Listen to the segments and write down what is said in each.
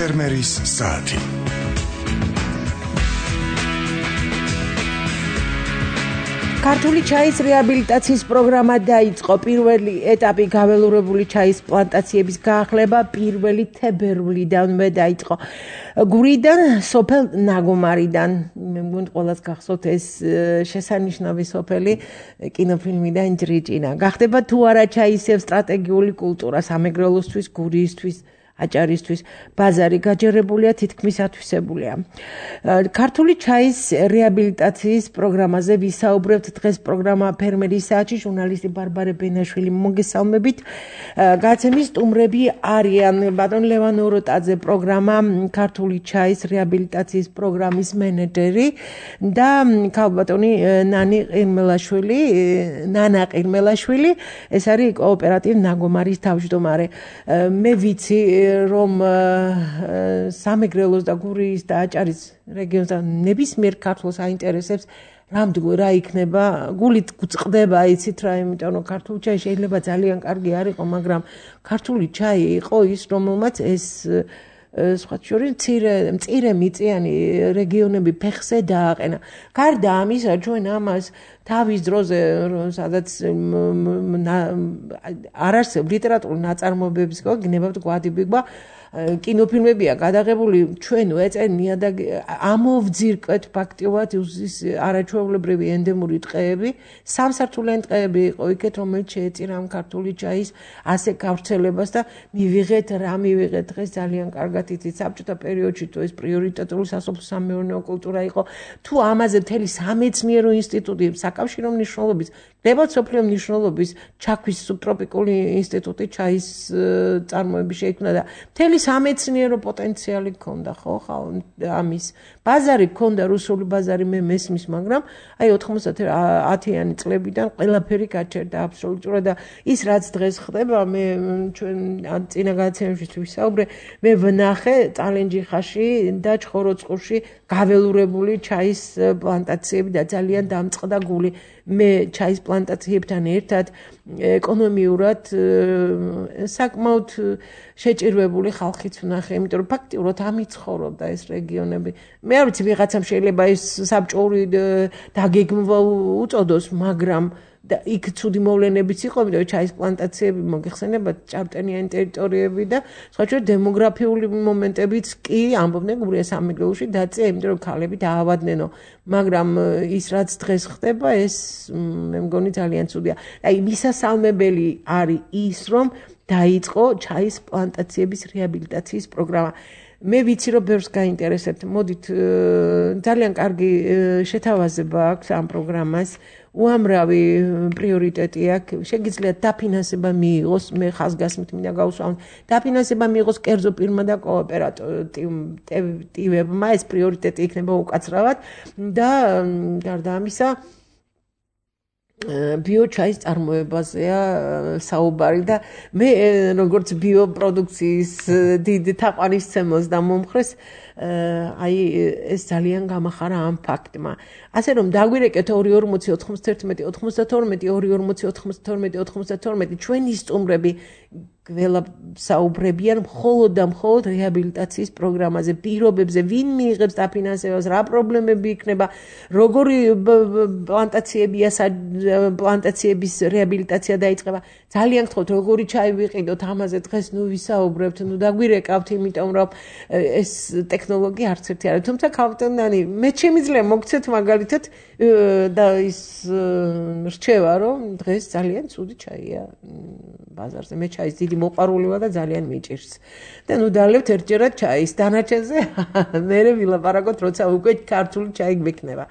ფერმერის საათი. ქართული ჩაის რეაბილიტაციის პროგრამა დაიწყო. პირველი ეტაპი გაველურებული ჩაის პლანტაციების გაახლება 1 თებერვლიდან დაიწყო. გურიდან, სოფელ ნაგომარიდან. მე მგონი ყველას გახსოვთ ეს შესანიშნავი სოფელი კინოფილმიდან ჯრიჭინა. გახდება თუ არა ჩაისევ სტრატეგიული კულტურა სამეგრელოსთვის, გურიისთვის, აჭარისთვის, ბაზარი გაჯერებულია, თითქმის ათვისებულია. ქართული ჩაის რეაბილიტაციის პროგრამაზე ვისაუბრებთ დღეს პროგრამა ფერმერის საათში ჟურნალისტი ბარბარე ბენაშვილი მოგესალმებით. გაცემის სტუმრები არიან ბატონ ლევან ოროტაძე პროგრამა ქართული ჩაის რეაბილიტაციის პროგრამის მენეჯერი და ქალბატონი ნანა ყირმელაშვილი, ეს არის კოოპერატივ ნაგომარის თავმჯდომარე. მე ვიცი რომ სამეგრელოს და გურიის და აჭარის რეგიონს და ნებისმიერ ქართულს აინტერესებს რა იქნება, გულით გვწყდება, იცით რა, იმიტომ რომ ქართული ჩაი შეიძლება ძალიან კარგი არ იყო, მაგრამ ქართული ჩაი იყო ის, რომელმაც ეს სხვა შორის მწირე მიწიანი რეგიონები ფეხზე დააყენა. გარდა ამისა, ჩვენ ამას თავის დროზე, სადაც არ არსებობს ლიტერატურული ნაწარმოებების გნებავთ გვადიბიგვა, კინოფილმებია გადაღებული, ჩვენ ეწენია და ამოვძირკვეთ ფაქტიურად არაჩვეულებრივი ენდემური ტყეები, სამსართულიანი ტყეები იყო იქეთ, რომელიც შეეწირა ამ ქართული ჩაის ასე გავრცელებას და მივიღეთ დღეს ძალიან კარგად იცით საბჭოთა პერიოდში თუ ეს პრიორიტეტული სასოფლო-სამეურნეო კულტურა იყო, თუ ამაზე მთელი სამეცნიერო ინსტიტუტი საკავშირო მნიშვნელობის, დებათ სოფლიო მნიშვნელობის ჩაქვის სუბტროპიკული ინსტიტუტი ჩაის წარმოების შეიქმნა და მთელი სამეცნიერო პოტენციალი ჰქონდა, ხო, ამის ბაზარი ჰქონდა, რუსული ბაზარი მე მესმის, მაგრამ აი 90-იანი წლებიდან ყველაფერი გაჩერდა აბსოლუტურად და ის რაც დღეს ხდება, მე ჩვენ წინა გადაცემებში ვისაუბრე, მე ვნახე წალენჯიხაში და ჩხოროწყურში გაველურებული ჩაის პლანტაციები და ძალიან დამწყდა გული. მე ჩაის პლანტაციებთან ერთად ეკონომიურად საკმაოდ შეჭირვებული ხალხიც ვნახე, იმიტომ რომ ფაქტიურად ამით ცხოვრობდა ეს რეგიონები. მე არ ვიცი, ვიღაცამ შეიძლება ეს საბჭოური დაგეგმვა უწოდოს, მაგრამ და იქ ცუდი მოვლენებიც იყო, იმიტომ რომ ჩაის პლანტაციები მოგეხსენებათ ჭარბტენიანი ტერიტორიები და სხვა შორის დემოგრაფიული მომენტებიც კი ამბობდნენ გურია სამეგრელოში დაწია, იმიტომ რომ ქალები დაავადნენო, მაგრამ ის რაც დღეს ხდება, ეს მე მგონი ძალიან ცუდია. აი მისასალმებელი არის ის, რომ დაიწყო ჩაის პლანტაციების რეაბილიტაციის პროგრამა. მე ვიცი, რომ ბევრს გაინტერესებთ. მოდით, ძალიან კარგი შეთავაზება აქვს ამ პროგრამას. უამრავი პრიორიტეტი აქვს. შეგიძლიათ დაფინანსება მიიღოს, მე ხაზგასმით მინდა გავუსვამოთ. დაფინანსება მიიღოს კერძო პირმა და კოოპერატივებმა, ეს პრიორიტეტი იქნება უკაცრავად და გარდა ამისა ბიოჩაის წარმოებაზეა საუბარი და მე როგორც ბიოპროდუქციის დიდ თაყვანისცემელს და მომხრეს აი ეს ძალიან გამახარა ამ ფაქტმა. ასე რომ დაგვირეკეთ 240-91-92 ჩვენი სტუმრები გველასაუბრებიან მხოლოდ და მხოლოდ რეაბილიტაციის პროგრამაზე, პირობებზე, ვინ მიიღებს დაფინანსებას, რა პრობლემები იქნება, როგორი პლანტაციების რეაბილიტაცია დაიწყება. ძალიან გთხოვთ, როგორი ჩაი ვიყიდოთ, ამაზე დღეს ვისაუბრებთ, დაგვირეკავთ, იმიტომ რომ ეს ტექნოლოგია არც ერთი არის. თუმცა ქალბატონი, მე შემიძლია მოგცეთ მაგალითად და ის რჩევა, რომ დღეს ძალიან ცუდი ჩაია ბაზარზე. მე ჩაის დიდი მოყვარული ვარ და ძალიან მიჭირს. და დაალევთ ერთჯერად ჩაის დანარჩენზე, მე ვილაპარაკოთ, როცა უკვე ქართული ჩაი გვექნება.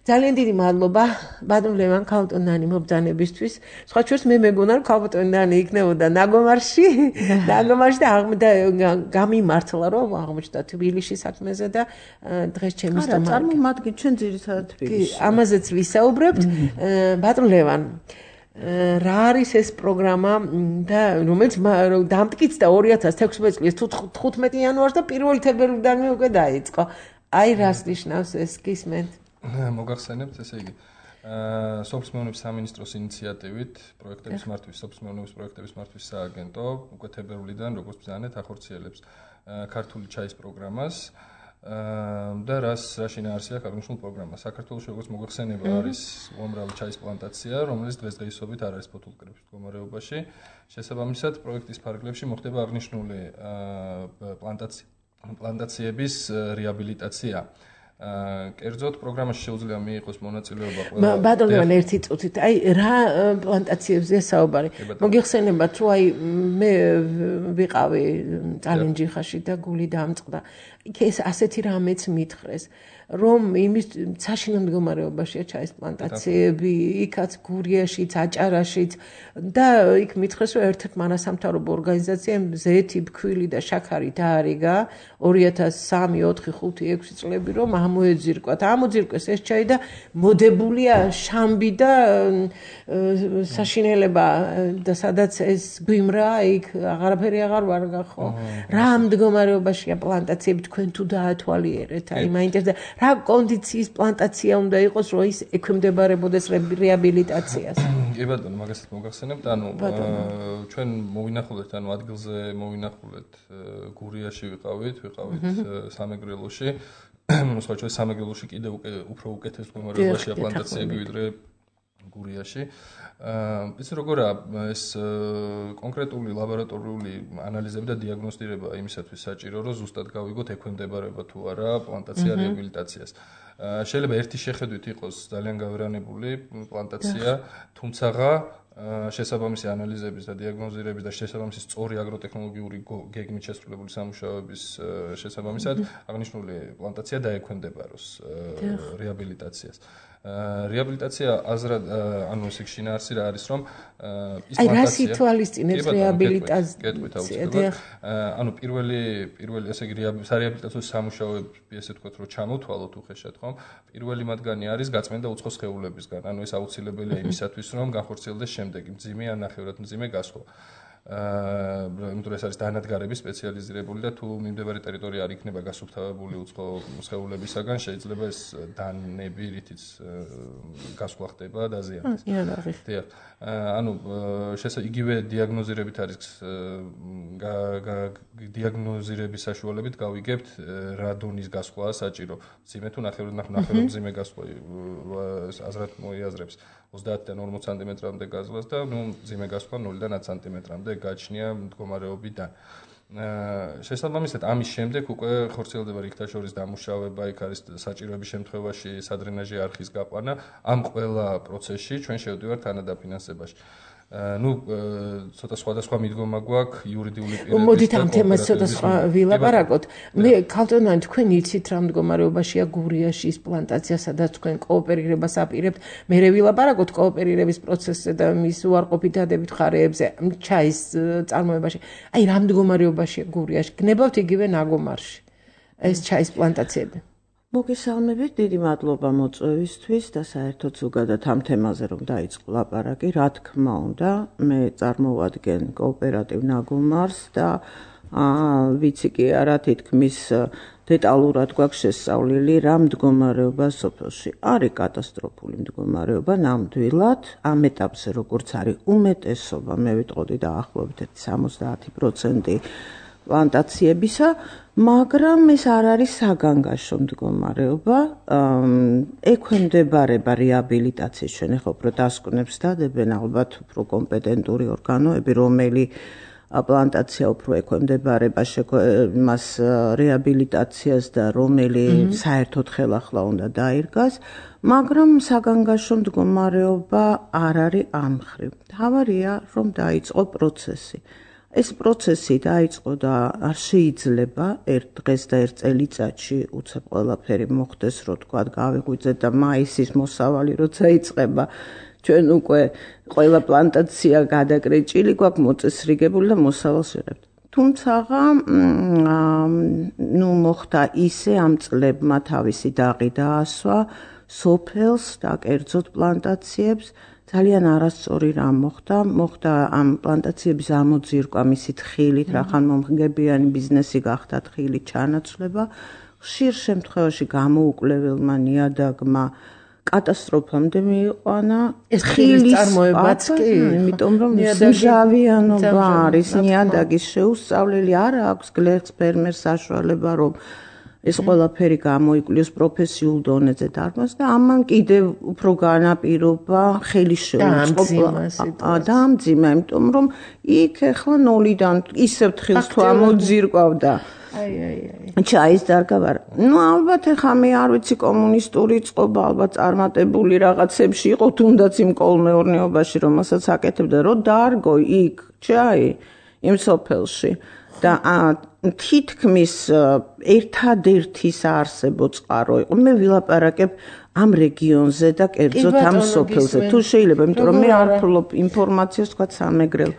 ძალიან დიდი მადლობა ბატონ ლევან ქალბატონი მობრძანებისთვის. სხვა შორის მე მეგონა რომ ქალბატონი იქნებოდა ნაგომარში და გამიმართლა რომ აღმოჩნდა თბილისში საქმეზე და დღეს ჩემი სტუმარი. წარმომადგენ ჩვენ ძირითადად თბილისში. ამაზეც ვისაუბრებთ. ბატონ ლევან, რა არის ეს პროგრამა და რომელიც დამტკიცდა 2016 წლის 15 იანვარს და 1 თებერვლიდან უკვე დაიწყო. აი რას ნიშნავს ეს გისმენთ? მოგახსენებთ, ესე იგი, სოფლის მეურნეობის სამინისტროს ინიციატივით სოფლის მეურნეობის პროექტების მართვის სააგენტო უკვე თებერვლიდან, როგორც ბრძანეთ, ახორციელებს ქართული ჩაის პროგრამას და რა შინაარსია აღნიშნულ პროგრამას. საქართველოში როგორც მოგეხსენება არის უამრავი ჩაის პლანტაცია, რომელიც დღესდღეობით არ არის ფოთოლმკრების მდგომარეობაში. შესაბამისად, პროექტის ფარგლებში მოხდება აღნიშნული პლანტაციების რეაბილიტაცია. კერძოდ პროგრამაში შეუძლია მიიღოს მონაწილეობა ყველა ბატონო ერთი წუთით აი რა პლანტაციებზეა საუბარი მოგიხსენებათ რომ აი მე ვიყავი წალენჯიხაში და გული დამწყდა იქ ეს ასეთი რამეც მითხრეს რომ იმის საშინო მდგომარეობაშია ჩაის პლანტაციები იქაც გურიაშიც აჭარაშიც და იქ მითხრეს რომ ერთ-ერთ მარასამთავრობო ორგანიზაციამ ზეთი ფქვილი და შაქარი დაარიგა 2003 4 5 6 წლები რომ ამოეძირკვათ ამოძირკვეს ეს ჩაი და მოდებულია შამბი და საშინელება და სადაც ეს გვიმრა იქ აღარაფერი აღარ ვარგა ხო რა მდგომარეობაშია პლანტაციები თქვენ თუ დაათვალიერეთ აი მაინტერესდა რა კონდიციის პლანტაცია უნდა იყოს რომ ის ექვემდებარებოდეს რეაბილიტაციას კი ბატონო მაგასაც მოგახსენებთ ანუ ჩვენ მოვინახულეთ ანუ ადგილზე მოვინახულეთ გურიაში ვიყავით სამეგრელოში მოსახლეობის სამეგრელოში კიდევ უფრო უკეთეს მდგომარეობაშია პლანტაციები ვიდრე გურიაში იცი როგორა ეს კონკრეტული ლაბორატორიული ანალიზები და დიაგნოსტირება იმისათვის საჭირო რომ ზუსტად გავიგოთ ექვემდებარება თუ არა პლანტაცია რეაბილიტაციას შეიძლება ერთი შეხედვით იყოს ძალიან გავერანებული პლანტაცია თუმცაღა შესაბამისი ანალიზების და დიაგნოზირების და შესაბამისი სწორი აგროტექნოლოგიური გეგმით შესრულებული სამუშაოების შესაბამისად აღნიშნული პლანტაცია დაექვემდებაროს რეაბილიტაციას რეაბილიტაცია აზრად ანუ ეს შინაარსი რა არის რომ ის პლანტაცია აი რა სიტუალისტინებს რეაბილიტაცია ანუ პირველი ესე იგი სარეაბილიტაციო სამუშაოები ესე ვთქვათ რომ ჩამოთვალოთ უხეშად ხომ პირველი მათგანი არის გაწმენდა უცხო სხეულებისგან ანუ ეს აუცილებელია იმისათვის რომ განხორციელდეს შემდეგ მძიმე ან ნახევრად მძიმე გასვლა იმიტომ ეს არის დანადგარების სპეციალიზირებული და თუ მიმდებარე ტერიტორია არ იქნება გასუფთავებული უცხო სხეულებისაგან შეიძლება ეს დანები რითიც გასვლა ხდება დაზიანდეს დიახ ანუ იგივე დიაგნოზირებით არის დიაგნოზირების საშუალებით გავიგებთ რა დონის გასვლაა საჭირო მძიმე თუ ნახევრად მძიმე გასვლა აზრად მოიაზრებს 30-დან 40 სანტიმეტრამდე გაზვლას და ნუ მძიმე გასვლა 0-დან 10 სანტიმეტრამდე გაჩნია მდგომარეობიდან. შესაბამისად ამის შემდეგ უკვე ხორციელდება რიქთაშორის დამუშავება, იქ არის საჭიროების შემთხვევაში სადრენაჟი არხის გაყვანა. ამ ყველა პროცესში ჩვენ შევდივართ თანადაფინანსებაში. ну ცოტა სხვადასხვა მიდგომა გვაქვს იურიდიული პირების მოდით ამ თემას ცოტა სხვა ვილაპარაკოთ მე ქალწონანი თქვენ იცით რა მდგომარეობაშია გურიაში ის პლანტაცია სადაც თქვენ კოოპერირებას აპირებთ მე ვილაპარაკოთ კოოპერირების პროცესზე და მის უარყოფითადებით ხარეებზე ჩაის წარმოებაში აი რა მდგომარეობაშია გურიაში გნებავთ იგივე ნაგომარში ეს ჩაის პლანტაციები მოგესალმებით, დიდი მადლობა მოწვევისთვის და საერთოდ ზოგადად ამ თემაზე რომ დაიწყო ლაპარაკი, რა თქმა უნდა, მე წარმოვადგენ კოოპერატივ ნაგომარს და ვიცი კი არა თითქმის დეტალურად გვაქვს შესწავლილი რა მდგომარეობა სოფელში. არის კატასტროფული მდგომარეობა ნამდვილად, ამ ეტაპზე როგორც არის უმეტესობა, მე ვიტყოდი დაახლოებით 70% პლანტაციებისა, მაგრამ ეს არ არის საგანგაშო მდგომარეობა, ექვემდებარება რეაბილიტაციის ჩვენ ახლა უფრო დასკვნებს დადებენ ალბათ უფრო კომპეტენტური ორგანოები, რომელი პლანტაცია უფრო ექვემდებარება მას რეაბილიტაციას და რომელი საერთოდ ხელახლა უნდა დაირგას, მაგრამ საგანგაშო მდგომარეობა არ არის ამ მხრივ. თავარია რომ დაიწყო პროცესი. ეს პროცესი დაიწყო და არ შეიძლება ერთ დღეს და ერთ წელიწადში უცებ ყველაფერი მოხდეს, რომ თქვა გავიღვიძეთ და მაისის მოსავალი როცა იწყება, ჩვენ უკვე ყველა პლანტაცია გადაკრეჭილი გვაქვს მოწესრიგებული და მოსავალს ვიღებთ. თუმცაღა მოხდა ისე ამ წლებმა თავისი დაღი დაასვა სოფელს და კერძოდ პლანტაციებს ძალიან არასწორი რამ მოხდა ამ პლანტაციების ამოძირკვა მისი თხილით, რახან მომგებიანი ბიზნესი გახდა თხილით ჩანაცვლება, ხშირ შემთხვევაში გამოუკვლეველმა ნიადაგმა კატასტროფამდე მიიყვანა ეს ხილის წარმოებაც კი იმიტომ რომ მჟავიანობა არის ნიადაგის შეუსწავლელი არ აქვს გლეხს ფერმერს საშუალება რომ ეს ყველაფერი გამოიკვლიოს პროფესიულ დონეზე დარბას და ამან კიდევ უფრო განაპირობა ხელის შეუწყობა დაამძიმა იმიტომ რომ იქ ახლა ნოლიდან ისევ თხილს თუ ამოძირკვავდა ჩაის დარგავარ. ალბათ ეხა მე არ ვიცი კომუნისტური წყობა ალბათ წარმატებული რაღაცებში იყო თუნდაც იმ კოლმეურნეობაში რომელსაც აკეთებდა რომ დარგო იქ ჩაი იმ სოფელში და თითქმის ერთადერთი საარსებო წყარო იყო მე ვილაპარაკებ ამ რეგიონზე და კერძოდ ამ სოფელზე თუ შეიძლება იმიტომ რომ მე არ ვფლობ ინფორმაციას თქვა სამეგრელო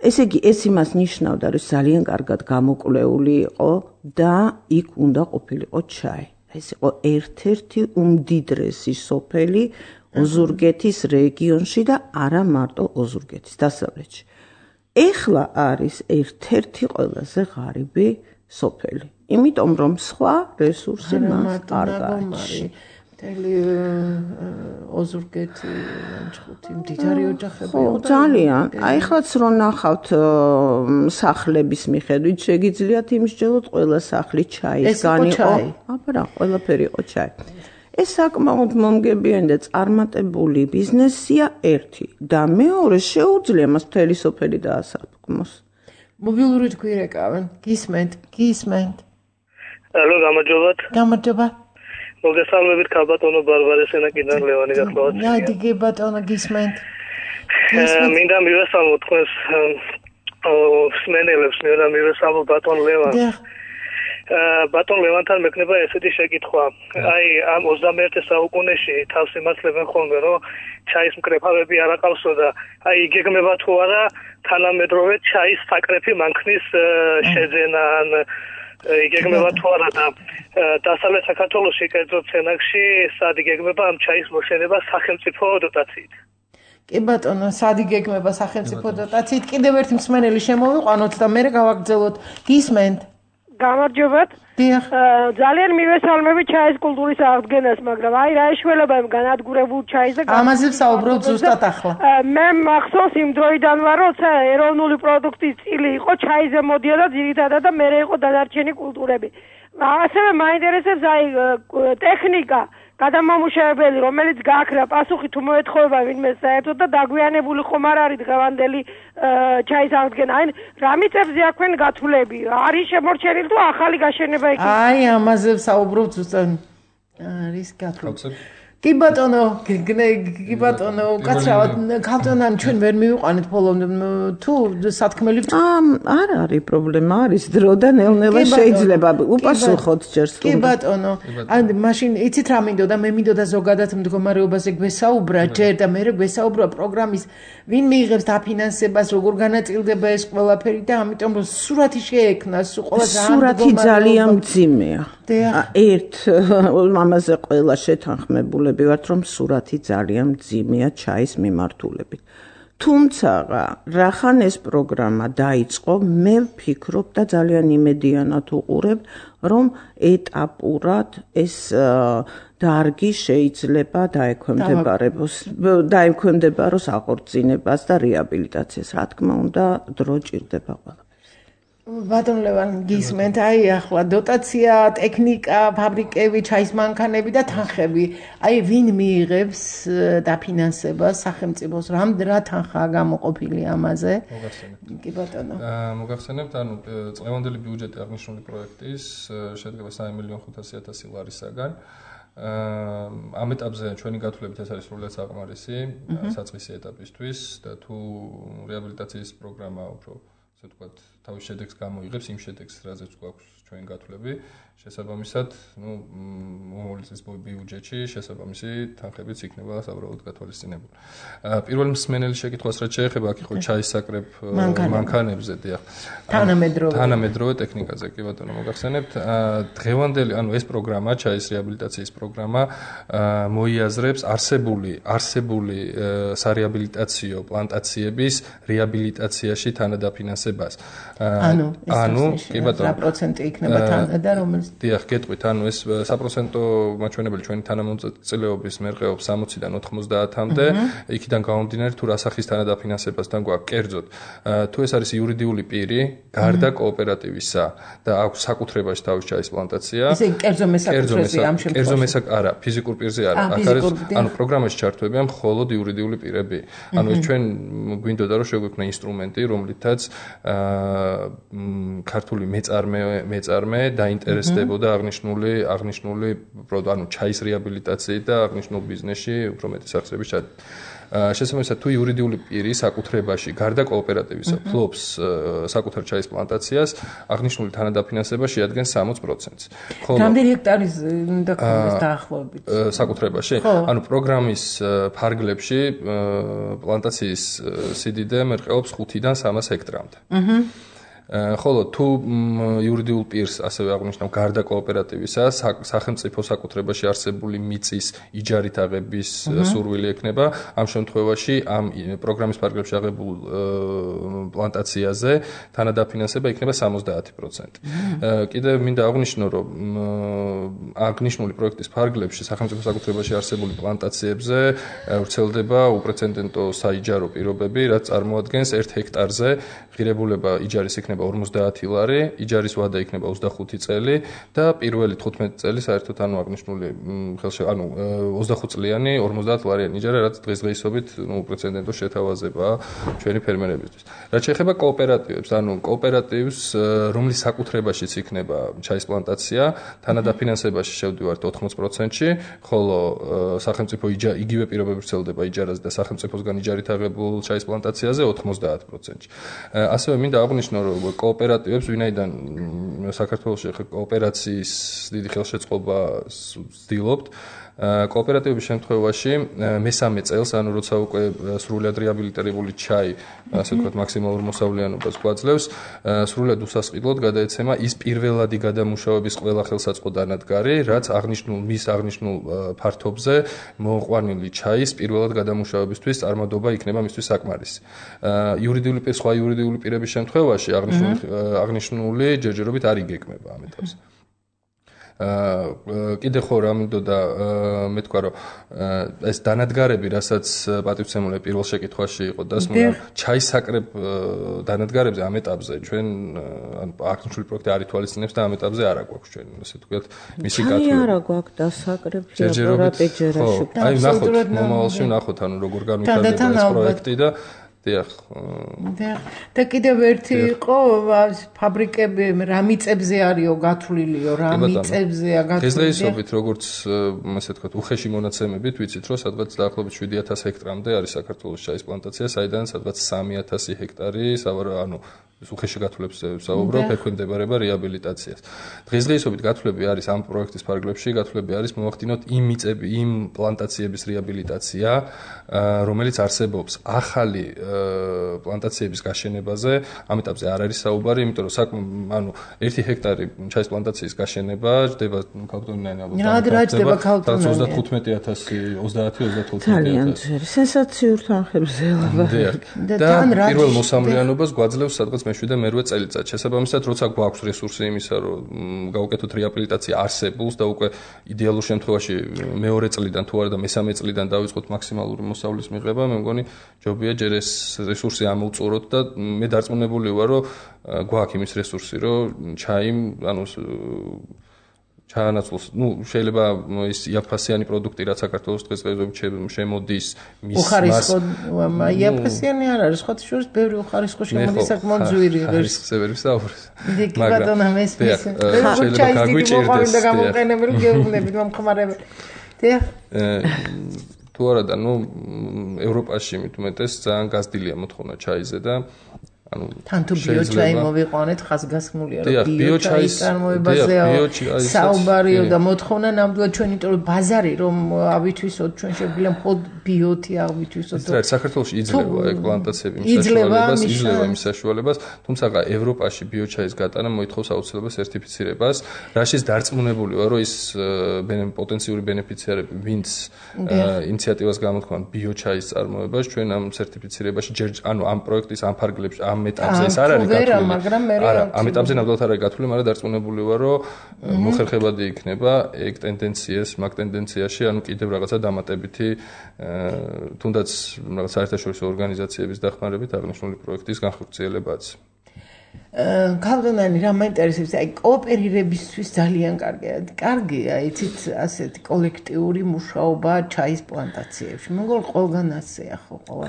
ესე იგი ეს იმას ნიშნავდა რომ ძალიან კარგად გამოკვლეული იყო და იქ უნდა ყოფილიყო ჩაი ეს იყო ერთ-ერთი უმდიდრესი სოფელი ოზურგეთის რეგიონში და არა მარტო ოზურგეთის დასავლეთში ეხლა არის ერთ-ერთი ყველაზე ღარიბი სოფელი იმიტომ რომ სხვა რესურსი მას არ გააჩნია ოზურგეთი ანჩხუთი მდიდარი ოჯახები ძალიან აი ხაც რო ნახავთ სახლების მიხედვით შეგიძლიათ იმსჯელოთ ყველა სახლი ჩაისგან იყო აბა ყველაფერი იყო ჩაი ეს საკმაოდ მომგებიანი და წარმატებული ბიზნესია ერთი და მეორე შეუძლია მას მთელი სოფელი დაასაფლავოს მობილური თქვირეკავენ გისმენთ ალო გამარჯობა მოგესალმებით ქალბატონო ბარბარე სენაკიდან ლევანი გახლავთ. ნაიდი ბატონო გისმენთ. მინდა მივესალმო თქვენს სმენელებს, მინდა მივესალმო ბატონ ლევანს. ბატონ ლევანთან მექნება ესეთი შეკითხვა. აი ამ 21 საუკუნეში თავს იმართლებენ ხოლმე რომ ჩაის მკრეფავები არ აყავსო და აი იგეგმება თუ არა თანამედროვე ჩაის საკრეფი მანქნის შეძენა ან იგეგმება თუ არა და დასავლეთ საქართველოში კერძოდ სენაკში სად იგეგმება ამ ჩაის მოშენება სახელმწიფო დოტაციით. კი ბატონო, სად იგეგმება სახელმწიფო დოტაციით? კიდევ ერთი მსმენელი შემოვიყვანოთ და მე გავაგრძელოთ. გისმენთ? გამარჯობათ. დიახ. ძალიან მივესალმები ჩაის კულტურის აღდგენას, მაგრამ აი რა ეშველება იმ განადგურებულ ჩაის და ამაზე ვსაუბრობ ზუსტად ახლა. მე მახსოვს იმ დროიდან ვარ, როცა ეროვნული პროდუქტის წილი იყო, ჩაიზე მოდიოდა ძირითადად და მერე იყო დანარჩენი კულტურები. ასევე მაინტერესებს აი ტექნიკა გადამამუშავებელი, რომელიც გააქრა პასუხი თუ მოეთხოვება ვინმე საერთოდ და დაგვიანებული ხომ არ არის დღევანდელი ჩაის აღდგენა. აი რა მიწებზე აქვენ გათვლები? არის შემორჩენილი თუ ახალი გაშენება იქნება? აი ამაზე ვსაუბრობ ზუსტად. არის გათვლები. კი ბატონო, კაცრავად, ქალწონან ჩვენ ვერ მივიყვანეთ ბოლომდე თუ სათქმელი არ არის პრობლემა, არის დრო და ნელ-ნელა შეიძლება უპასუხოთ ჯერ სულ. კი ბატონო, ან მაშინ იცით რა მინდოდა, მე მინდოდა ზოგადად მდგომარეობაზე გვესაუბრა ჯერ და მე გვესაუბრა პროგრამის ვინ მიიღებს დაფინანსებას, როგორ განაწილდება ეს ყველაფერი და ამიტომ რომ სურათი შეექმნას, ყველა სურათი ძალიან მძიმეა. ერთ ამაზე ყველა შეთანხმებულები ვართ რომ სურათი ძალიან მძიმეა ჩაის მიმართულებით. თუმცა რახან ეს პროგრამა დაიწყო, მე ვფიქრობ და ძალიან იმედიანად უყურებ, რომ ეტაპურად ეს დარგი შეიძლება დაექვემდებაროს აღორძინებას და რეაბილიტაციას. რა თქმა უნდა, დრო ჭირდება ყველა. ბატონ ლევან გისმენთ აი ახლა დოტაცია, ტექნიკა, ფაბრიკები, ჩაის მანქანები და თანხები. აი ვინ მიიღებს დაფინანსებას სახელმწიფოს? რა თანხაა გამოყოფილი ამაზე? კი ბატონო. მოგახსენებთ, ანუ წლევანდელი ბიუჯეტი აღნიშნული პროექტის შედგება 3.500.000 ლარისაგან. ამ ეტაპზე ჩვენი გათვლებით ეს არის სრულიად საკმარისი საწყისი ეტაპისთვის და თუ რეაბილიტაციის პროგრამა უფრო ასე ვთქვათ თავის შედეგს გამოიღებს იმ შედეგს, რაზეც გვაქვს ჩვენი გათვლები, შესაბამისად, მომავლის ბიუჯეტში შესაბამისი თანხებიც იქნება საბოლოოდ გათვალისწინებული. პირველ მსმენელი შეკითხვას რაც შეეხება, აქ იყო ჩაის საკრებ მანქანებზე, დიახ. თანამედროვე ტექნიკაზე, კი ბატონო, მოგახსენებთ. დღევანდელი, ანუ ეს პროგრამა, ჩაის რეაბილიტაციის პროგრამა მოიაზრებს არსებული სარეაბილიტაციო პლანტაციების რეაბილიტაციაში თანადაფინანსებას. ანუ კი ბატონო, რა პროცენტი იქნება თან და რომელიც დიახ, გეტყვით, ანუ ეს საპროცენტო მაჩვენებელი ჩვენი თანამონაწილეობის მერყეობს 60-დან 90-მდე, იქიდან გამომდინარე თუ რა სახის თანადაფინანსებასთან გვაქვს კერძოდ. თუ ეს არის იურიდიული პირი, გარდა კოოპერატივისა და აქვს საკუთრებაში თავის ჩაის პლანტაცია. ესე კერძო მესაკუთრეზე ამ შემთხვევაში. კერძო არა, ფიზიკურ პირზე არა. აქ არის ანუ პროგრამაში ჩართვებიან მხოლოდ იურიდიული პირები. ანუ ეს ჩვენ გვინდოდა რომ შეგვექმნა ინსტრუმენტი, რომლითაც ქართული მეწარმე დაინტერესდებოდა აღნიშნული ანუ ჩაის რეაბილიტაციით და აღნიშნულ ბიზნესში უფრო მეტი სახსრების შესაბამისად თუ იურიდიული პირი საკუთრებაში გარდა კოოპერატივისა ფლობს საკუთარ ჩაის პლანტაციას, აღნიშნული თანადაფინანსება შეადგენს 60%-ს. რამდენი ჰექტარის უნდა ქონდეს დაახლოებით? საკუთრებაში? ანუ პროგრამის ფარგლებში პლანტაციის სიდიდე მერყეობს 5-დან 300 ჰექტრამდე. ხოლო თუ იურიდიულ პირს ასევე აღნიშნავ გარდა კოოპერატივისა სახელმწიფო საკუთრებაში არსებული მიწის იჯარით აღების სურვილი ექნება, ამ შემთხვევაში ამ პროგრამის ფარგლებში აღებულ პლანტაციაზე თანადაფინანსება იქნება 70%. კიდევ მინდა აღვნიშნო, რომ აღნიშნული პროექტის ფარგლებში სახელმწიფო საკუთრებაში არსებული პლანტაციებზე ვრცელდება უპრეცედენტო საიჯარო პირობები, რაც წარმოადგენს 1 ჰექტარზე ღირებულება იჯარის იქნება 50 ლარი, იჯარის ვადა იქნება 25 წელი და პირველი 15 წელი საერთოდ ანუ აღნიშნული 25 წლიანი 50 ლარიანი იჯარა, რაც დღესდღეობით უპრეცედენტო შეთავაზებაა ჩვენი ფერმერებისთვის. რაც შეეხება კოოპერატივებს, ანუ კოოპერატივს, რომლის საკუთრებაშიც იქნება ჩაის პლანტაცია, თანადაფინანსებაში შევდივართ 80%-ში, ხოლო სახელმწიფო იგივე პირობები ვრცელდება იჯარაზე და სახელმწიფოსგან იჯარით აღებულ ჩაის პლანტაციაზე 90%-ში. ასევე მინდა აღვნიშნო, რომ კოოპერატივებს, ვინაიდან საქართველოში კოოპერაციის დიდი ხელშეწყობას ვცდილობთ, კოოპერატივების შემთხვევაში მესამე წელს, ანუ როცა უკვე სრულად რეაბილიტირებული ჩაი, ასე ვთქვათ, მაქსიმალურ მოსავლიანობას გვაძლევს, სრულად უსასყიდლოდ გადაეცემა ის პირველადი გადამუშავების ყველა ხელსაწყო დანადგარი, რაც მის აღნიშნულ ფართობზე მოყვანილი ჩაის პირველად გადამუშავებისთვის წარმოდობა იქნება მისთვის საკმარისი. სხვა იურიდიული პირების შემთხვევაში აღნიშნული ჯერჯერობით არ იგეგმება ამ ეტაპზე. კიდე ხო რა მინდოდა მე თქვა, რომ ეს დანადგარები, რასაც პატივცემული პირველ შეკითხვაში იყო დასმული, ჩაისაკრებ დანადგარებზე ამ ეტაპზე ჩვენ აღნიშნული პროექტი არ ითვალისწინებს და ამ ეტაპზე არ აგვაქვს ჩვენ, ასე ვთქვათ, მისი გათვლილი. არ აგვაქვს დასაკრები აპარატეჯერაში. აი ნახოთ, მომავალში ნახოთ, ანუ როგორ განვითარდება ეს პროექტი და დიახ. და კიდევ ერთი იყო ფაბრიკები რა მიწებზე არისო გათვლილიო, რა მიწებზეა გათვლილი. დღესდღეობით როგორც ასე ვთქვათ, უხეში მონაცემებით ვიცით, რომ სადღაც დაახლოებით 7000 ჰექტრამდე არის საქართველოს ჩაის პლანტაცია, საიდან სადღაც 3000 ჰექტარი, ანუ უხეში გათვლებს ვსაუბრობ, ექვემდებარება რეაბილიტაციას. დღესდღეობით გათვლები არის ამ პროექტის ფარგლებში, გათვლები არის მოვახდინოთ იმ პლანტაციების რეაბილიტაცია, რომელიც არსებობს ახალი პლანტაციების გაშენებაზე, ამ ეტაპზე არ არის საუბარი, იმიტომ რომ 1 ჰექტარი ჩაის პლანტაციის გაშენება ჯდება ქალბატონიანი ალბათ. რა ჯდება ქალბატონიანი? 35,000 ძალიან ძვირი, სენსაციურ თანხებზე ლაბა. და პირველ მოსამვლიანობას გვაძლევს სადღაც მე-7 მერვე წელიწად. შესაბამისად, როცა გვაქვს რესურსი იმისა, რომ გავუკეთოთ რეაბილიტაცია არსებულს და უკვე იდეალურ შემთხვევაში მეორე წლიდან თუ არა და მესამე წლიდან დავიწყოთ მაქსიმალური მოსავლის მიღება, მე მგონი ჯობია ჯერ ეს რესურსი ამოვწუროთ და მე დარწმუნებული ვარ, რომ გვაქვს იმის რესურსი, რომ ჩაანაცვლოს, შეიძლება ის იაფფასიანი პროდუქტი, რაც საქართველოს დღესდღეობით შემოდის მის უხარისხო, იაფფასიანი არ არის, სხვა შორის ბევრი უხარისხო შემოდის საკმაოდ ძვირი ღირს. ხარისხები საუბრობ. მაგრამ შეიძლება გაგვიჭირდეს და გამოყენებელი გეუბნებით მომხმარებელი. დიახ. თუ არა და ევროპაში მით უმეტეს ძალიან გაზრდილია მოთხოვნა ჩაიზე და თან თუ ბიოჩაი მოვიყვანეთ, ხაზგასმულია, რომ ბიოჩაის წარმოებაზეა საუბარიო და მოთხოვნა ნამდვილად ჩვენ, იმიტომ რომ ბაზარი რომ ავითვისოთ, ჩვენ შეგვიძლია მხოლოდ ბიოთი აღვიჩვისო. ეს რა საქართველოში იძლევა ეგ პლანტაციები იძლევა იმ საშუალებას, თუმცა ევროპაში ბიოჩაის გატანა მოითხოვს აუცილებლად სერტიფიცირებას, რაშიც დარწმუნებული ვარ, რომ ის პოტენციური ბენეფიციარები, ვინც ინიციატივას გამოთქვამთ ბიოჩაის წარმოებას, ჩვენ ამ სერტიფიცირებაში ამ პროექტის ამ ფარგლებში, ამ ეტაპზე ეს არ არის გათვლილი. არა, ამ ეტაპზე ნამდვილად არ არის გათვლილი, მაგრამ დარწმუნებული ვარ, რომ მოხერხებადი იქნება ეგ ტენდენციას, მაგ ტენდენციაში, ანუ კიდევ რაღაცა დამატებითი თუნდაც რაღაც საერთაშორისო ორგანიზაციების დახმარებით აღნიშნული პროექტის განხორციელებაც. ქალბატონი, რა მაინტერესებს, აი კოოპერირებისთვის ძალიან კარგია, იცით, ასეთი კოლექტიური მუშაობა ჩაის პლანტაციებში. მეგობრებო, ყველგან ასეა ხო ყოველ.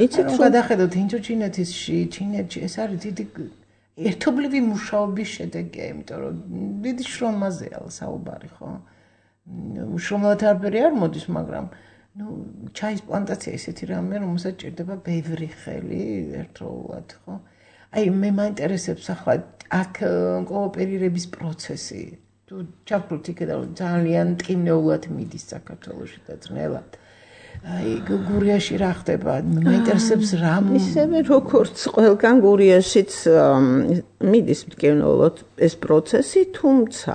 იცით, გადახედოთ ინდოჩინეთში, ჩინეთში, ეს არის დიდი ერთობლივი მუშაობის შედეგია, იმიტომ რომ დიდი შრომაზეა საუბარი, ხო? შრომად არაფერი არ მოდის, მაგრამ ჩაის პლანტაცია ისეთი რამე, რომელსაც ჭირდება ბევრი ხელი ერთდროულად, ხო? აი მე მაინტერესებს ახლა აქ კოოპერირების პროცესი. თუ ჩავკროთ იქედა ძალიან ტკივნეულად მიდის საქართველოში და ძნელად. აი გურიაში რა ხდება? მაინტერესებს რა ისევე როგორც ყველგან გურიაშიც მიდის ტკივნეულად ეს პროცესი, თუმცა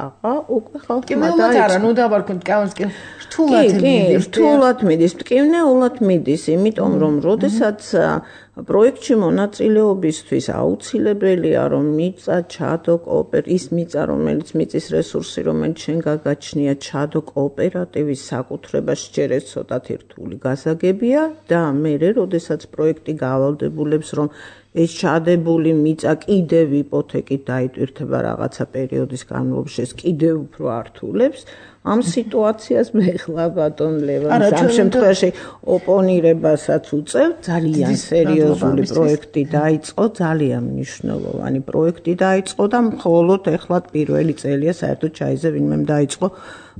უკვე ხალხმა არა, ნუ დავარქოთ რთულად მიდის, ტკივნეულად მიდის, იმიტომ რომ როდესაც პროექტში მონაწილეობისთვის აუცილებელია რომ მიწა ჩადო ის მიწა რომელიც მიწის რესურსი რომელიც შენ გაგაჩნია ჩადო კოოპერატივის საკუთრებაში ჯერ ეს ცოტათი რთული გასაგებია და მერე როდესაც პროექტი გავალდებულებს რომ ეს ჩადებული მიწა კიდევ იპოთეკით დაიტვირთება რაღაცა პერიოდის განმავლობაში ეს კიდევ უფრო ართულებს ამ სიტუაციას მე ხლა ბატონ ლევანს ამ შემთხვევაში ოპონირებასაც უწევ ძალიან სერიოზული პროექტი დაიწყო ძალიან მნიშვნელოვანი პროექტი დაიწყო და მხოლოდ ეხლა პირველი წელია საერთოდ ჩაიზე ვინმე დაიწყო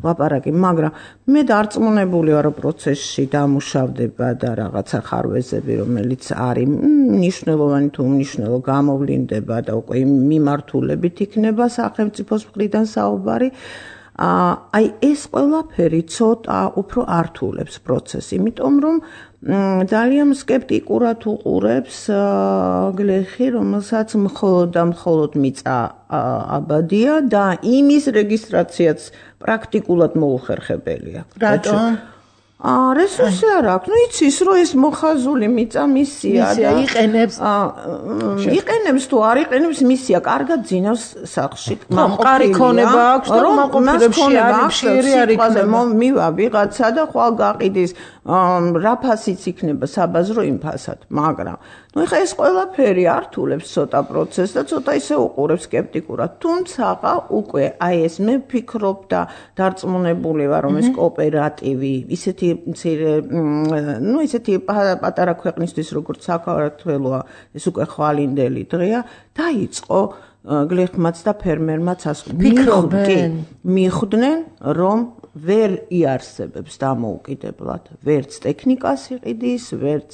ლაპარაკი მაგრამ მე დარწმუნებული ვარ რომ პროცესში დამუშავდება და რაღაცა ხარვეზები რომელიც არის მნიშვნელოვანი თუ უმნიშვნელო გამოვლინდება და უკვე მიმართულებით იქნება სახელმწიფოს მხრიდან საუბარი აი ეს ყველაფერი ცოტა უფრო ართულებს პროცესს, იმიტომ რომ ძალიან სკეპტიკურად უყურებს გლეხი, რომელსაც მხოლოდ მიწა აბადია და იმის რეგისტრაციაც პრაქტიკულად მოუხერხებელია. რატომ? რესურსი არ აქვს. ნუ იცის რომ ეს მოხაზული მიწა მისია და იყენებს თუ არ იყენებს მისია, კარგად ძინავს სახლში. მყარი ქონება აქვს და მაყოფილებში არის მივა ვიღაცა და ხვალ გაყიდის რა ფასიც იქნება საბაზრო იმ ფასად, მაგრამ ნუ ეხა ეს ყველაფერი ართულებს ცოტა პროცესს და ცოტა ისე უყურებს სკეპტიკურად. თუმცა უკვე აი ეს მე ვფიქრობ და დარწმუნებული ვარ რომ ეს კოოპერატივი ისეთი პატარა ქვეყნისთვის როგორც საქართველოა ეს უკვე ხვალინდელი დღეა დაიწყო გლეხმაც და ფერმერმაც მიხვდნენ რომ ვერ იარსებებს დამოუკიდებლად ვერც ტექნიკას იყიდის ვერც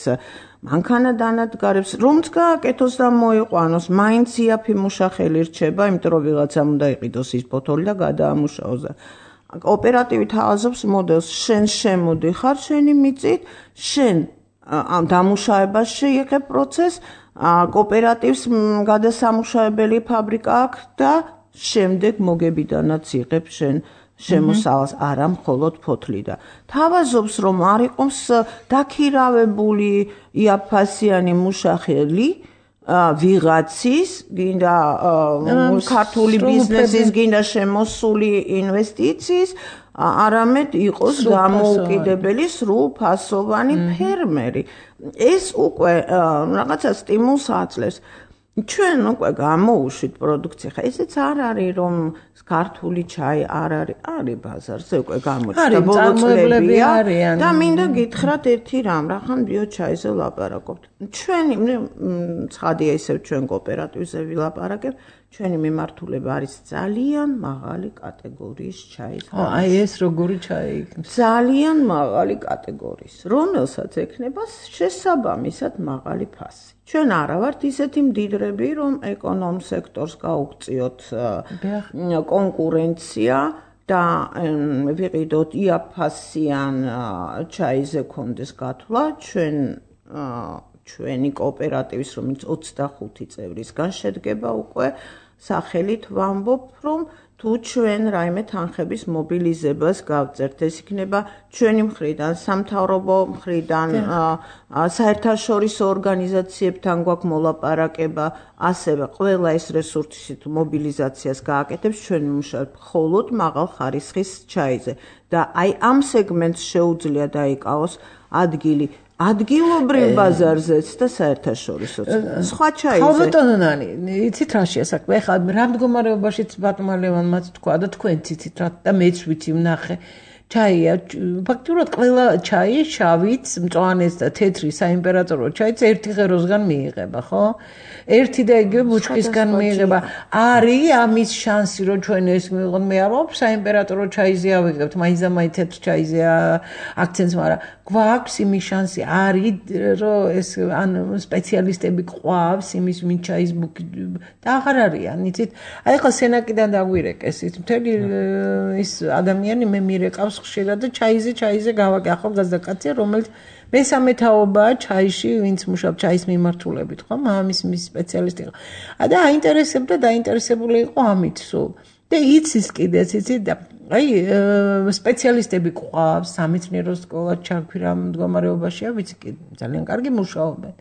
მანქანადანადგარებს რომც გააკეთოს და მოიყვანოს მაინც იაფი მუშახელი რჩება იმიტომ რომ ვიღაცამ უნდა იყიდოს ის ფოთოლი და გადაამუშაოს კოოპერატივი თავაზობს მოდელს შენ შემოდიხარ შენი მიწით შენ ამ დამუშავებას შეიღებ პროცესს კოოპერატივს გადასამუშავებელი ფაბრიკა აქვს და შემდეგ მოგებიდანაც იღებ შენ შემოსავალს არა მხოლოდ ფოთლი და თავაზობს რომ არ იყოს დაქირავებული იაფასიანი მუშახელი ვიღაცის გინდა ქართული ბიზნესის გინდა შემოსული ინვესტიციის არამედ იყოს დამოუკიდებელი სრულფასოვანი ფერმერი ეს უკვე რაღაცა სტიმულს აძლევს ჩვენ უკვე გამოუშვით პროდუქცია ხა ესეც არ არის რომ ქართული ჩაი არ არის ბაზარზე უკვე გამოჩნდა ბოლო წლებია და მინდა გითხრათ ერთი რამ რახან ბიოჩაიზე ვლაპარაკობთ ჩვენი ცხადია ისევ ჩვენ კოოპერატივზე ვილაპარაკებ ჩვენი მიმართულება არის ძალიან მაღალი კატეგორიის ჩაის აი ეს როგორი ჩაი ძალიან მაღალი კატეგორიის რომელსაც ექნება შესაბამისად მაღალი ფასი ჩვენ არა ვართ ისეთი მდიდრები რომ ეკონომ სექტორს გაუგწიოთ კონკურენცია და ვიყიდოთ იაფასიან ჩაიზე კონდეს გათვლა ჩვენი კოოპერატივის რომელიც 25 წევრისგან შედგება უკვე სახელით ვამბობ რომ თუ ჩვენ რაიმე თანხების მობილიზებას გავწერთ ეს იქნება ჩვენი მხრიდან სამთავრობო მხრიდან საერთაშორისო ორგანიზაციებთან გვაქვს მოლაპარაკება ასევე ყველა ეს რესურსი თუ მობილიზაციას გააკეთებს ჩვენ ვიმუშავებთ მხოლოდ მაღალ ხარისხის ჩაიზე და აი ამ სეგმენტს შეუძლია დაიკავოს ადგილი ადგილობრივ ბაზარზეც და საერთაშორისოც. სხვა ჩაიზე. ხალბატონონანი, იცით რაშია საქმე? ეხლა რა მდგომარეობაშიც ბატონმა ლევანმაც თქვა და თქვენც იცით რა და მეც ვიცი ვნახე. ჩაია, ფაქტურად ყველა ჩაი შავიც, მწვანეც და თეთრი საიმპერატორო ჩაიც ერთი ღეროსგან მიიღება, ხო? ერთი და იგივე ბუჩქისგან მიიღება. არის ამის შანსი რომ ჩვენ ეს მივიღოთ, მე არ ვაქვს საიმპერატორო ჩაიზე ავიღებთ, მაინც და მაინც თეთრ ჩაიზე აქცენტს, მაგრამ გვაქვს იმის შანსი არის რომ ეს ან სპეციალისტები ყავს იმის ვინ ჩაის ბუქი და აღარ არიან, იცით? აი ხა სენაკიდან დაგვირეკეს ის მთელი ის ადამიანი მე მირეკავს ხშირად და ჩაიზე გავაკე ახალგაზრდა კაცია რომელიც მესამე თაობაა ჩაიში ვინც მუშაობს ჩაის მიმართულებით ხო მამის მის სპეციალისტი იყო და აინტერესებდა დაინტერესებული იყო ამით სულ და იცის კიდეც იცით და აი სპეციალისტები ყავს სამეცნიერო სკოლა ჩაგვირა მდგომარეობაშია ვიცი ძალიან კარგი მუშაობენ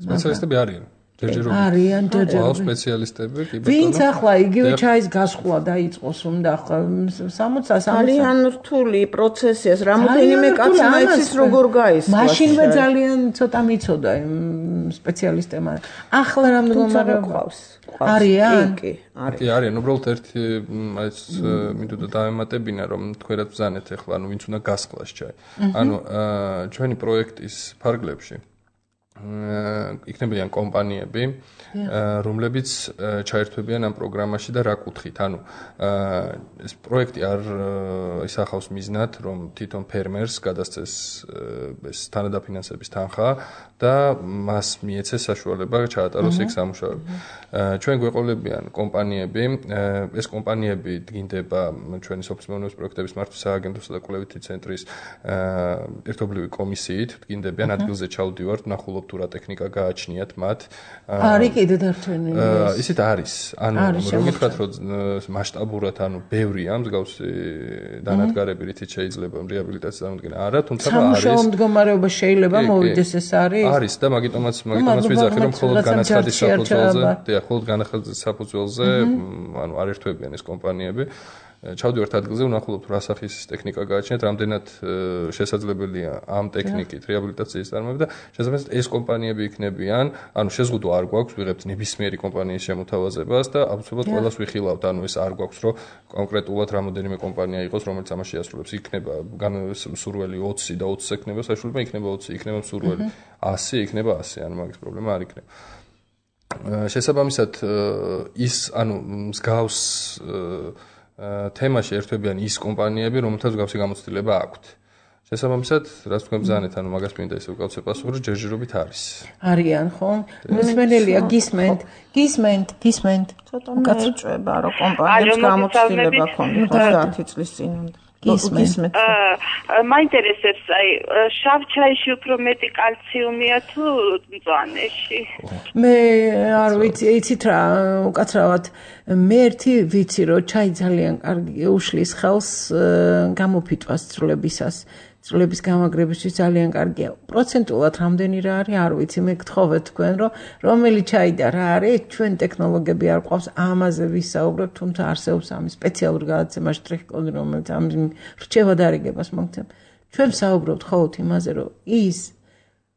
სპეციალისტები არიან არიან ჯერჯერობით სპეციალისტები კი ბატონო ვინც ახლა იგივე ჩაის გასხვა დაიწყოს უნდა ახლა 60 ძალიან რთული პროცესია რამოდენიმე კაცმა იცის როგორ გაისვა მაშინვე ძალიან ცოტა მიცოდა იმ სპეციალისტებმა ახლა რა მდგომარეობა არიან კი არიან უბრალოდ ერთი ეს მინდოდა დავემატებინა რომ თქვენაც ბზანეთ ახლა ანუ ვინც უნდა გასხლას ჩაი ანუ ჩვენი პროექტის ფარგლებში იქნებიან კომპანიები, რომლებიც ჩაერთვებიან ამ პროგრამაში და რა კუთხით. ანუ ეს პროექტი არ ისახავს მიზნად, რომ თვითონ ფერმერს გადასცეს ეს თანადაფინანსების თანხა და მას მიეცეს საშუალება ჩაატაროს იქ სამუშაოები. ჩვენ გვეყოლებიან კომპანიები, ეს კომპანიები დგინდება ჩვენი სოფლის მეურნეობის პროექტების მართვის სააგენტოსა და კვლევითი ცენტრის ერთობლივი კომისიით, დგინდებიან ადგილზე ჩავდივართ, ნახულობ თუ რა ტექნიკა გააჩნიათ მათ. არის კიდე დარჩენილი. ისეთ არის. ანუ რომ გითხრათ რომ მასშტაბურად ანუ ბევრია მსგავსი დანადგარები რითიც შეიძლება რეაბილიტაციის წარმოქმნა. არა, თუმცა არის. სამუშაო მდგომარეობა შეიძლება მოვიდეს ეს არის. არის და მაგიტომაც ვიძახი რომ მხოლოდ განაცხადის საფუძველზე, მხოლოდ განაცხადის საფუძველზე, ანუ არ ერთვებიან ეს კომპანიები. ჩავდივართ ადგილზე, ვნახულობთ რა სახის ტექნიკა გააჩნიათ, რამდენად შესაძლებელია ამ ტექნიკით რეაბილიტაციის წარმოება და შესაბამისად ეს კომპანიები იქნებიან, ანუ შეზღუდვა არ გვაქვს, ვიღებთ ნებისმიერი კომპანიის შემოთავაზებას და აბსოლუტურად ყველას ვიხილავთ, ანუ ეს არ გვაქვს, რომ კონკრეტულად რამოდენიმე კომპანია იყოს, რომელიც ამას შეასრულებს. იქნება სურველი 20 და 20 ექნება საშუალება, იქნება 20, იქნება სურველი 100, იქნება 100, ანუ მაგის პრობლემა არ იქნება. შესაბამისად ის, ანუ მსგავს თემაში ერთვებიან ის კომპანიები, რომელთაც მსგავსი გამოცდილება აქვთ. შესაბამისად, რაც თქვენ ბზანეთ, ანუ მაგას მინდა ისე უკავცე პასუხი, რომ ჯერჯერობით არის. არიან, ხო? მსმენელია, გისმენთ. ცოტა მეწვება, რომ კომპანიებს გამოცდილება ქონდათ 10 წლის წინამდე. გისმენთ. მაინტერესებს, აი, შავ ჩაიში უფრო მეტი კალციუმია თუ მწვანეში? მე არ ვიცი, იცით რა, უკაცრავად მე ერთი ვიცი, რომ ჩაი ძალიან კარგი უშლის ხელს გამოფიტვას ცვლილებისას. ცვლილების გამაგრებისთვის ძალიან კარგია. პროცენტულად რამდენი რა არის, არ ვიცი, მე გთხოვეთ თქვენ, რომ რომელი ჩაი და რა არის, ჩვენ ტექნოლოგიები არ ყავს, ამაზე ვისაუბრებთ, თუმცა არსებობს ამის სპეციალური გადაცემა შტრიხ-კოდი, რომელიც ამ რჩევა დარიგებას მოგცემ. ჩვენ ვსაუბრობთ მხოლოდ იმაზე, რომ ის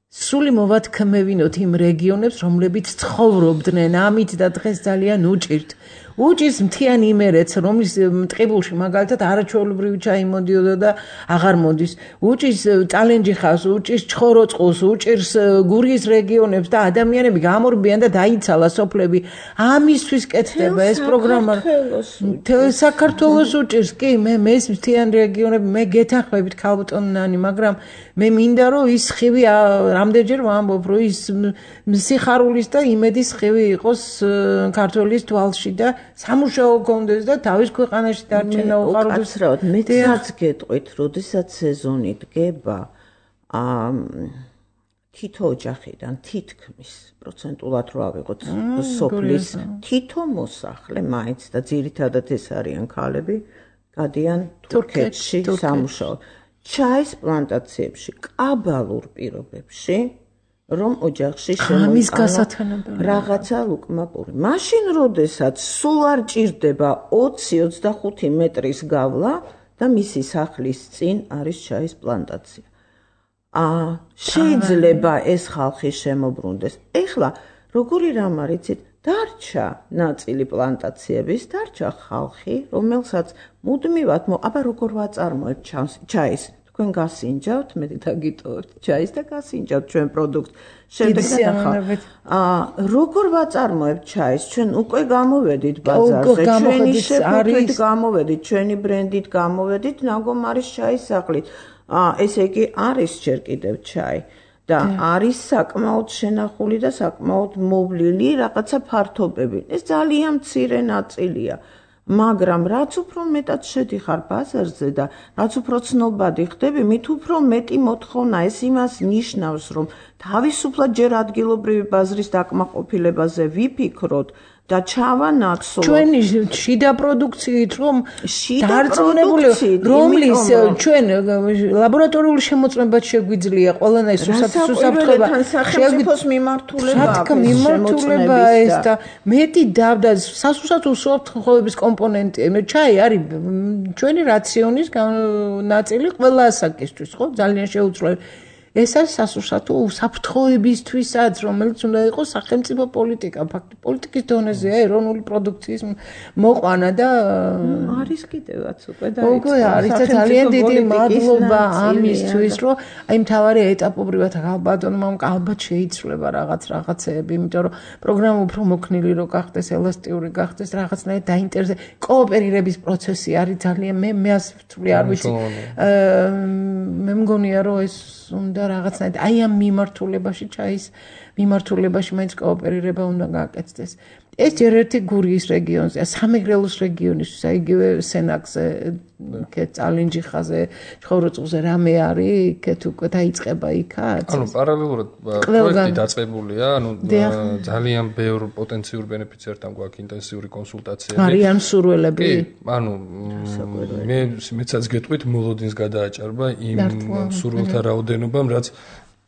სული მოვათქმევინოთ იმ რეგიონებს, რომლებიც ცხოვრობდნენ ამით და დღეს ძალიან უჭირთ. უჭირს მთიანი იმერეთს, რომლის ტყიბულში მაგალითად არაჩვეულებრივი ჩაი მოდიოდა და აღარ მოდის. უჭირს ტალენჯი ხავს, უჭირს ჩხოროწყუს, უჭირს გურიის რეგიონებს და ადამიანები გამორბიან და დაიცალა სოფლები. ამისთვის კეთდება ეს პროგრამა. საქართველოს უჭირს, კი, მე ეს მთიანი რეგიონები, მე გეთანხმებით ქალბატონანი, მაგრამ მე მინდა რომ ის ხივი რამდენჯერ ვამბობ, რომ ის სიხარულის და იმედის ხივი იყოს ქართველის თვალში და სამუშაო გქონდეს და თავის ქვეყანაში დარჩენა უყაროდეს. კაცრავად, მეც გეტყვით, როდესაც სეზონი დგება, თითო ოჯახიდან თითქმის პროცენტულად რო ავიღოთ სოფლის თითო მოსახლე მაინც და ძირითადად ეს არიან ქალები გადიან თურქეთში სამუშაო. ჩაის პლანტაციებში კაბალურ პირობებში რომ ოჯახში შემოიყვანა რაღაცა ლუკმაპური. მაშინ როდესაც სულ არ ჭირდება 20-25 მეტრის გავლა და მისი სახლის წინ არის ჩაის პლანტაცია. შეიძლება ეს ხალხი შემოbrunდეს. ეხლა როგორი რამ არიცით, დარჩა ნაწილი პლანტაციების, დარჩა ხალხი, რომელსაც მუდმივად აბა როგორ ვაწარმოებთ ჩაის, თქვენ გასინჯავთ, მე დაგიტოვებთ ჩაის და გასინჯავთ ჩვენ პროდუქტს. შემდეგ როგორ ვაწარმოებთ ჩაის, ჩვენ უკვე გამოვედით ბაზარზე, ჩვენი შეფუთვით გამოვედით, ჩვენი ბრენდით გამოვედით, ნაგომარის ჩაის სახლით. ესე იგი არის ჯერ კიდევ ჩაი და არის საკმაოდ შენახული და საკმაოდ მოვლილი რაღაცა ფართობები. ეს ძალიან მცირე ნაწილია, მაგრამ რაც უფრო მეტად შედიხარ ბაზარზე და რაც უფრო ცნობადი ხდები, მით უფრო მეტი მოთხოვნა. ეს იმას ნიშნავს, რომ თავისუფლად ჯერ ადგილობრივი ბაზრის დაკმაყოფილებაზე ვიფიქროთ და ჩავანაცვლოთ ჩვენი შიდა პროდუქციით, რომ დარწმუნებული რომლის ჩვენ ლაბორატორიული შემოწმებაც შეგვიძლია ყველანაირ უსაფრთხოება სახელმწიფოს მიმართულება ეს და მეტი და სასუსათო უსაფრთხოების კომპონენტი. ჩაი არის ჩვენი რაციონის ნაწილი ყველა ასაკისთვის, ხო? ძალიან შეუძლებელი. ეს არის სასურსათო უსაფრთხოებისთვისაც, რომელიც უნდა იყოს სახელმწიფო პოლიტიკა. ფაქტობრივად პოლიტიკის დონეზეა ეროვნული პროდუქციის მოყვანა და არის კიდევაც უკვე და არის და ძალიან დიდი მადლობა ამისთვის, რომ აი მთავარი ეტაპობრივად ალბათონმა ალბათ შეიცვლება რაღაცეები, იმიტომ რომ პროგრამა უფრო მოქნილი რო გახდეს, ელასტიური გახდეს, რაღაცნაირად დაინტერესდეს. კოოპერირების პროცესი არის ძალიან მე ასწრაფი არ ვიცი. მე მგონია რომ ეს უნდა რაღაცნაირად აი ამ მიმართულებაში ჩაის მიმართულებაში მაინც კოოპერირება უნდა გააკეთდეს. ეს ჯერ ერთი გურიის რეგიონზეა, სამეგრელოს რეგიონისთვის, აიგივე სენაკზე, იქეთ წალინჯიხაზე, ცხოროწყუზე რამე არის, იქეთ უკვე დაიწყება იქაც. პარალელურად პროექტი დაწყებულია, ძალიან ბევრ პოტენციურ ბენეფიციართან გვაქვს ინტენსიური კონსულტაციები. არიან მსურველები? მეცაც გეტყვით, მოლოდინს გადააჭარბა იმ მსურველთა რაოდენობამ, რაც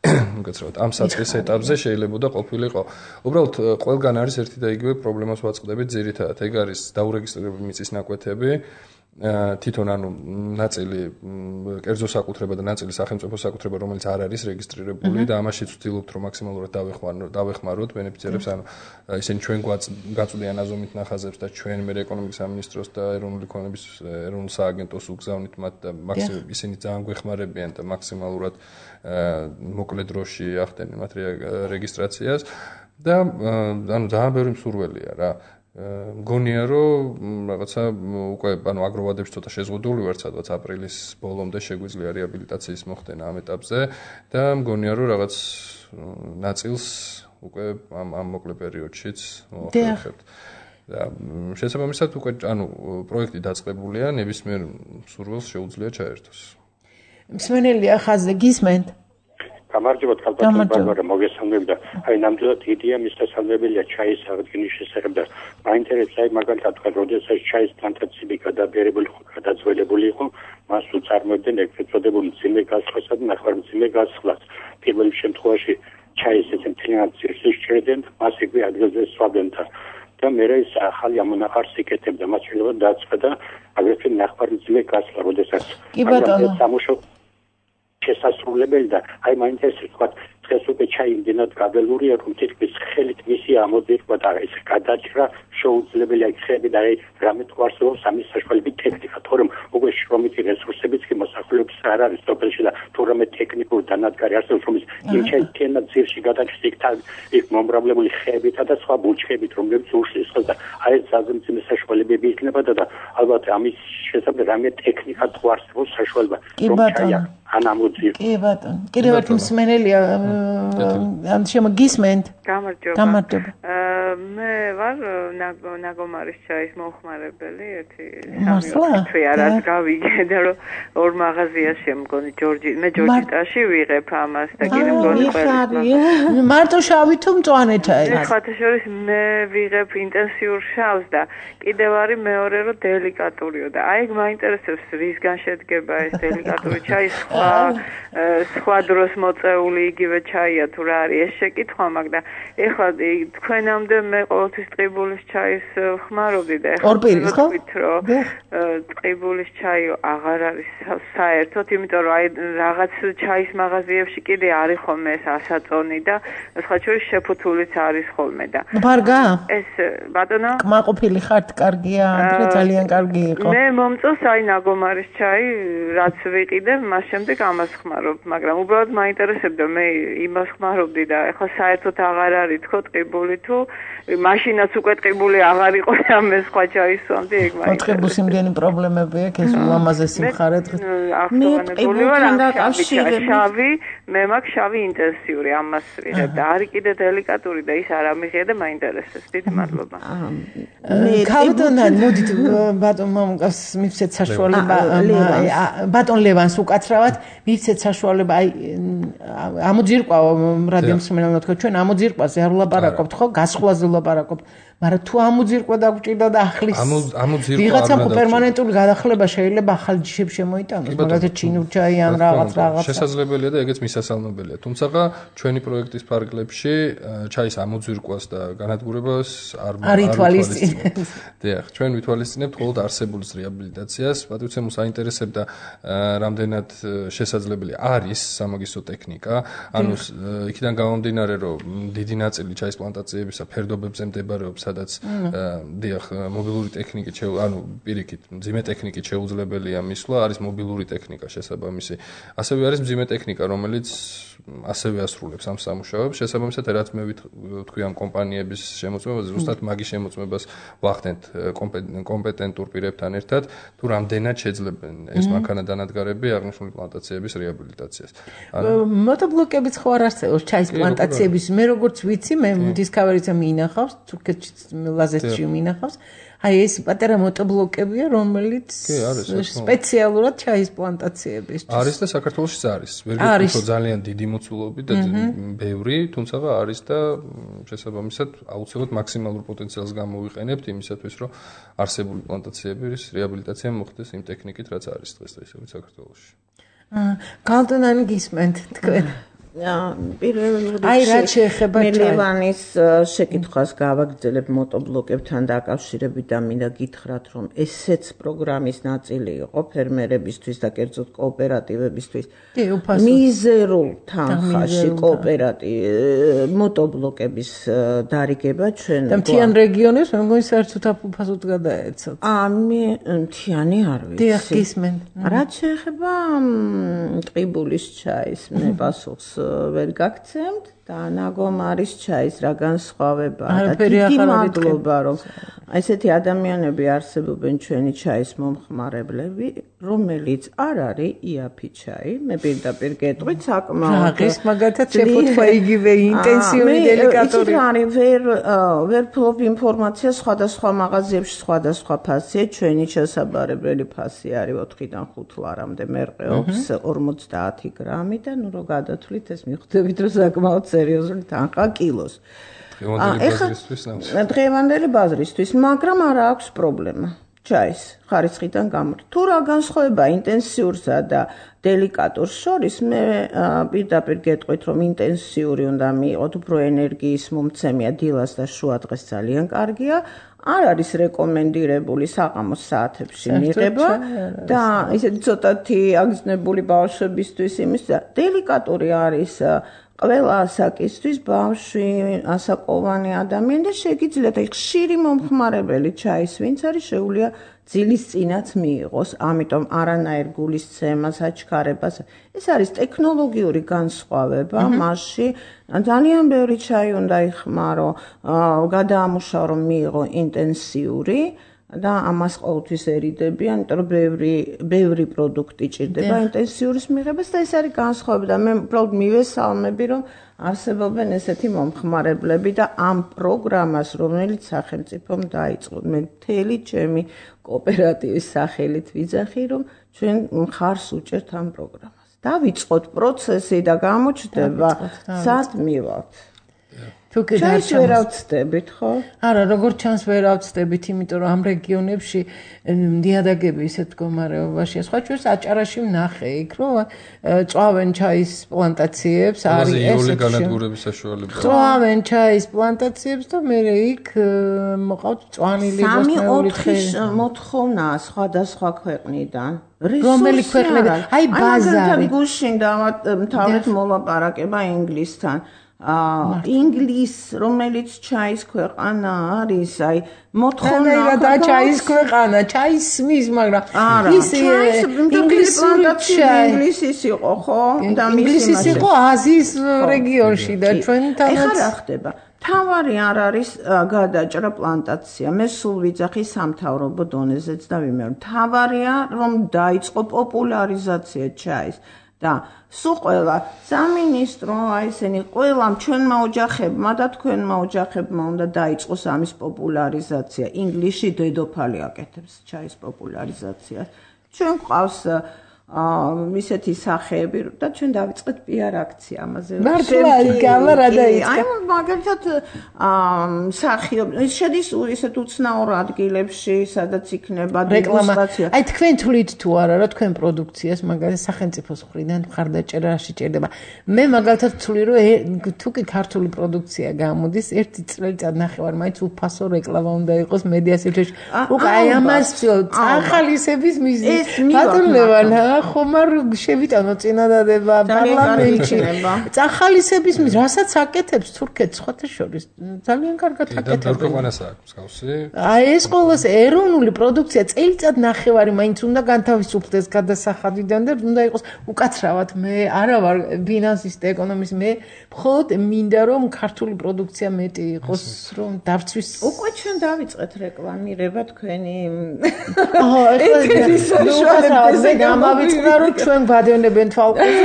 უკაცრავად ამ საწყის ეტაპზე შეიძლებოდა ყოფილიყო. უბრალოდ ყველგან არის ერთი და იგივე პრობლემას ვაწყდებით ძირითადად. ეგ არის დაურეგისტრირებული მიწის ნაკვეთები, თვითონ ნაწილი კერძო საკუთრება და ნაწილი სახელმწიფო საკუთრება, რომელიც არ არის რეგისტრირებული და ამაშიც ვცდილობთ რომ მაქსიმალურად დავეხმაროთ ბენეფიციარებს, ისინი ჩვენ გაწვდიან აზომით ნახაზებს და ჩვენ მე ეკონომიკის სამინისტროს და ეროვნული ქონების ეროვნულ სააგენტოს უგზავნით მათ და ისინი ძალიან გვეხმარებიან და მაქსიმალურად მოკლე დროში ახდენენ მათ რეგისტრაციას და ძალიან ბევრი მსურველია რა. მგონია რომ რაღაცა უკვე აგროვადებში ცოტა შეზღუდული ვართ, სადღაც აპრილის ბოლომდე შეგვიძლია რეაბილიტაციის მოხდენა ამ ეტაპზე და მგონია რომ რაღაც ნაწილს უკვე ამ მოკლე პერიოდშიც მოვახერხებთ. და შესაბამისად უკვე პროექტი დაწყებულია, ნებისმიერ მსურველს შეუძლია ჩაერთოს. მსმენელია ხაზზე გისმენთ? გამარჯობათ ხალხო, ბარბარა მოგესალმებით და აი ნამდვილად იდეა მისასალმებელია ჩაის აღდგენის შესახებ და მაინტერესებს აი მაგალითად თქვენ როდესაც ჩაის პლანტაციები გადაძველებული იყო, მას უწარმოებდნენ ეგრეთ წოდებულ მძიმე გასხლასა და ნახევარმძიმე გასხლას. პირველ შემთხვევაში ჩაის ესე მთლიანად ძირში შეჭრებდნენ, მას იქვე ადგილზე სვავდნენ და მე ეს ახალი ამონახარს იკეთებდა, მას შეიძლება დააწყდა აგრეთვე ნახევარმძიმე გასხლა, როდესაც სამუშაო შესასრულებელი და აი მაინტერესებს თქვა დღეს უკვე ჩაი იმდენად გაბელურია რომ თითქმის ხელით მისი ამოძირკვა და ეს გადაჭრა შეუძლებელია ხები და აი რამე თქვას რომ სამის საშუალებით ტექნიკა თორემ უკვე შრომითი რესურსებიც კი მოსახლეობის არ არის სოფელში და თორემ ტექნიკური დანადგარი არსებობს რომ იმ ჩაის ძირში გადაჭრა იქ მომრავლებული ხებითა და სხვა ბუჩქებით რომლებიც უშლის ხოლმე და აი ეს ზაზმწიმე საშუალებები იქნება და ალბათ ამის შესაძლებელი რამე ტექნიკა თქვა არსებობს საშუალება რომ ჩაი ან ამოძირ. კი ბატონო. კიდევ ერთი მსმენელია ან შემოგისმენთ? გამარჯობა. მე ვარ ნაგომარის ჩაის მომხმარებელი, ერთი 3 თვე არის გავიგე და რომ ორ მაღაზიაში მგონი მე ჯორჯიტაში ვიღებ ამას და კიდე მგონი ყველა. მარტო შავი თუ მწვანეთა ეს? ხათა შორის მე ვიღებ ინტენსიურ შავს და კიდევ არის მეორე რომ დელიკატურიო და აი მაინტერესებს რისგან შედგება ეს დელიკატური ჩაი სხვა დროს მოწეული იგივე ჩაია თუ რა არის ეს შეკითხვა მაგ და ეხლა თქვენამდე მე ყოველთვის ტყიბულის ჩაის ხმარობდი და ეხლა ვთქვით რომ ტყიბულის ჩაი აღარ არის საერთოდ იმიტომ რომ აი რაღაც ჩაის მაღაზიებში კიდე არის ხოლმე ეს ასაწონი და სხვა შორის შეფუთულიც არის ხოლმე და ბარგა ეს ბატონო კმაყოფილი ხართ კარგია ადრე ძალიან კარგი იყო მე მომწონს აი ნაგომარის ჩაი რაც ვიყიდე მას შემდეგ ამას ხმარობ მაგრამ უბრალოდ მაინტერესებდა მე იმას ხმარობდი და ეხლა საერთოდ აღარ არის თქო ტყიბული თუ მაშინაც უკვე ტყიბული აღარ იყო და მე სხვა ჩაისვამდი ეგ მაინტერესებს ტყიბულს იმდენი პრობლემები აქვს ეს ულამაზესი მხარე დღეს მე ტყიბულთან დაკავშირებით შავი მე მაქვს შავი ინტენსიური ამას ვიღებ და არის კიდე დელიკატური და ის არ ამიღია და მაინტერესებს დიდი მადლობა მე კავდონან მოდით ბატონ მამუკას მივცეთ საშუალება ბატონ ლევანს უკაცრავად მივცეთ საშუალება აი ამოძირკვა რადიო მსმენელმა თქვა ჩვენ ამოძირკვაზე არ ვლაპარაკობთ ხო გასხვლაზე ვლაპარაკობთ მაგრამ თუ ამოძირკვა დაგჭირდა და ახლის ვიღაცამ პერმანენტული გადახლება შეიძლება ახალ ჯიშებს შემოიტანოს მაგალითად ჩინურჩაი ან რაღაც შესაძლებელია და ეგეც მისასალმებელია თუმცა ჩვენი პროექტის ფარგლებში ჩაის ამოძირკვას და განადგურებას არ ითვალისწინებთ დიახ ჩვენ ვითვალისწინებთ მხოლოდ არსებულის რეაბილიტაციას პატრიცემუს აინტერესებდა რამდენად შესაძლებელი არის სამაგისტრო ტექნიკა ანუ იქიდან გამომდინარე რომ დიდი ნაწილი ჩაის პლანტაციებისა ფერდობებზე მდებარეობს სადაც დიახ მობილური ტექნიკით ანუ პირიქით მძიმე ტექნიკით შეუძლებელია მისვლა არის მობილური ტექნიკა შესაბამისი ასევე არის მძიმე ტექნიკა რომელიც ასევე ასრულებს ამ სამუშაოებს შესაბამისად რაც მე ვთქვი ამ კომპანიების შემოწმებაზე ზუსტად მაგის შემოწმებას ვახდენთ კომპეტენტურ პირებთან ერთად თუ რამდენად შეძლებენ ეს მანქანა დანადგარები აღნიშნული პლანტაციების რეაბილიტაციას მოтобლოკებიც ხო არ არსებობს ჩაის პლანტაციების მე როგორც ვიცი მე დისკავერიზე მინახავს თურქეთში ლაზეთში მინახავს აი ეს პატარა მოтобლოკებია რომელიც სპეციალურად ჩაის პლანტაციებისთვის არის და საქართველოშიც არის ვერ გეტყვით რომ ძალიან დიდი მოცულობი და ბევრი თუმცა არის და შესაბამისად აუცილებლად მაქსიმალურ პოტენციალს გამოვიყენებთ იმისათვის რომ არსებული პლანტაციების რეაბილიტაცია მოხდეს იმ ტექნიკით რაც არის დღესდღეობით საქართველოში კალტონანი გისმენთ თქვენ პირველ რიგში მელევანის შეკითხვას გავაგრძელებ მოтобლოკებთან დაკავშირებით და მინდა გითხრათ რომ ესეც პროგრამის ნაწილი იყო ფერმერებისთვის და კერძოდ კოოპერატივებისთვის მიზერულ თანხაში მოтобლოკების დარიგება ჩვენ და მთიან რეგიონებს მე მგონი საერთოდ აფუფასოდ გადაეცოთ მე მთიანი არ ვიცი დიახ გისმენ რაც შეეხება ტყიბულის ჩაის მე პასუხს ვერ გაგცემთ და ნაგომარის ჩაის რა განსხვავებაა და დიდი მადლობა რომ ესეთი ადამიანები არსებობენ ჩვენი ჩაის მომხმარებლები რომელიც არ არის იაფი ჩაი მე პირდაპირ გეტყვით საკმაოდ ის მაგათაც შეფუთვა იგივე ინტენსიური დელიკატური ვერ ფლობ ინფორმაცია სხვადასხვა მაღაზიებში სხვადასხვა ფასია ჩვენი შესაბარებელი ფასი არის 4-დან 5 ლარამდე მერყეობს 50 გრამი და ნუ რო გადათვლით ეს მიხვდებით რომ საკმაოდ სერიოზული თანხა კილოს დღევანდელი ბაზრისთვის მაგრამ არ აქვს პრობლემა ჩაის ხარისხიდან გამორ თუ რა განსხვავება ინტენსიურსა და დელიკატურს შორის მე პირდაპირ გეტყვით რომ ინტენსიური უნდა მიიღოთ უფრო ენერგიის მომცემია დილას და შუადღეს ძალიან კარგია არ არის რეკომენდირებული საღამოს საათებში მიღება და ისეთი ცოტათი აგზნებული ბავშვებისთვის იმის და დელიკატური არის ყველა ასაკისთვის ბავშვი, ასაკოვანი ადამიანი და შეგიძლიათ ხშირი მომხმარებელი ჩაის ვინც არის შეუძლია ძილის წინაც მიიღოს, ამიტომ არანაირ გულისცემას, აჩქარებას. ეს არის ტექნოლოგიური განსხვავება მასში. ძალიან ბევრი ჩაი უნდა იხმარო, გადაამუშავო რომ მიიღო ინტენსიური და ამას ყოველთვის ერიდები, იმიტომ რომ ბევრი პროდუქტი ჭირდება ინტენსიურის მიღებას და ეს არის განსხვავება და მე უბრალოდ მივესალმები, რომ არსებობენ ესეთი მომხმარებლები და ამ პროგრამას, რომელიც სახელმწიფომ დაიწყო, მე მთელი ჩემი კოოპერატივის სახელით ვიძახი, რომ ჩვენ მხარს უჭერთ ამ პროგრამას. დავიწყოთ პროცესი და გამოჩნდება, სად მივალთ. ჩაის ვერ ავწდებით, ხო? არა, როგორც ჩანს ვერ ავწდებით, იმიტომ რომ ამ რეგიონებში ნიადაგები ისეთ მდგომარეობაშია. სხვა ჩვენს აჭარაში ვნახე იქ, რომ წვავენ ჩაის პლანტაციებს, არის ესეთი განადგურების საშუალება. წვავენ ჩაის პლანტაციებს და მე იქ მოყავთ წვანილი ბოსტნეული ხე. 3-4 მოთხოვნაა სხვადასხვა ქვეყნიდან. რომელი ქვეყნები? აი ბაზარი. გუშინ თავით მოლაპარაკება ინგლისთან. ინგლის, რომელიც ჩაის ქვეყანა არის, აი მოთხოვნა და ჩაის ქვეყანა, ჩაის სმის, მაგრამ ის ინგლისის იყო, ხო? და ინგლისის იყო აზიის რეგიონში და ჩვენთანაც ეხლა რა ხდება? თავარი არ არის გადაჭრა პლანტაცია. მე სულ ვიძახი სამთავრობო დონეზეც და ვიმეორებ. თავარია რომ დაიწყო პოპულარიზაცია ჩაის. და სულ ყველა სამინისტრო აი ესენი ყველამ ჩვენმა ოჯახებმა და თქვენმა ოჯახებმა უნდა დაიწყოს ამის პოპულარიზაცია. ინგლისში დედოფალი აკეთებს ჩაის პოპულარიზაციას. ჩვენ ყავს ისეთი სახეები და ჩვენ დავიწყეთ PR აქცია ამაზე. მართლა გალა რა დაიწყე? აი მაგალითად მსახიობ შედის ისეთ უცნაურ ადგილებში, სადაც იქნება დეგუსტაცია. აი თქვენ თვლით თუ არა რა თქვენ პროდუქციას მაგალითად სახელმწიფოს მხრიდან მხარდაჭერაში ჭირდება. მე მაგალითად ვთვლი რომ თუ კი ქართული პროდუქცია გამოდის, ერთი წელიწად ნახევარ მაინც უფასო რეკლამა უნდა იყოს მედია სივრცეში. უკვე აი ამას წახალისების მიზნით ბატონლევან ხომ არ შევიტანო წინადადება პარლამენტში. წახალისების მიზნით რასაც აკეთებს თურქეთს სხვათა შორის ძალიან კარგად აკეთებს. და ქვეყანას აქვს მსგავსი. აი ეს ყოველს ეროვნული პროდუქცია წელიწად ნახევარი მაინც უნდა განთავისუფლდეს გადასახადიდან და უნდა იყოს უკაცრავად მე არა ვარ ფინანსისტი, ეკონომისტი, მე მხოლოდ მინდა რომ ქართული პროდუქცია მეტი იყოს, რომ დავცვის. უკვე ჩვენ დავიწყეთ რეკლამირება თქვენი ეთერისაშუალებით გამავიწყდა რომ ჩვენ გვადევნებენ თვალყურს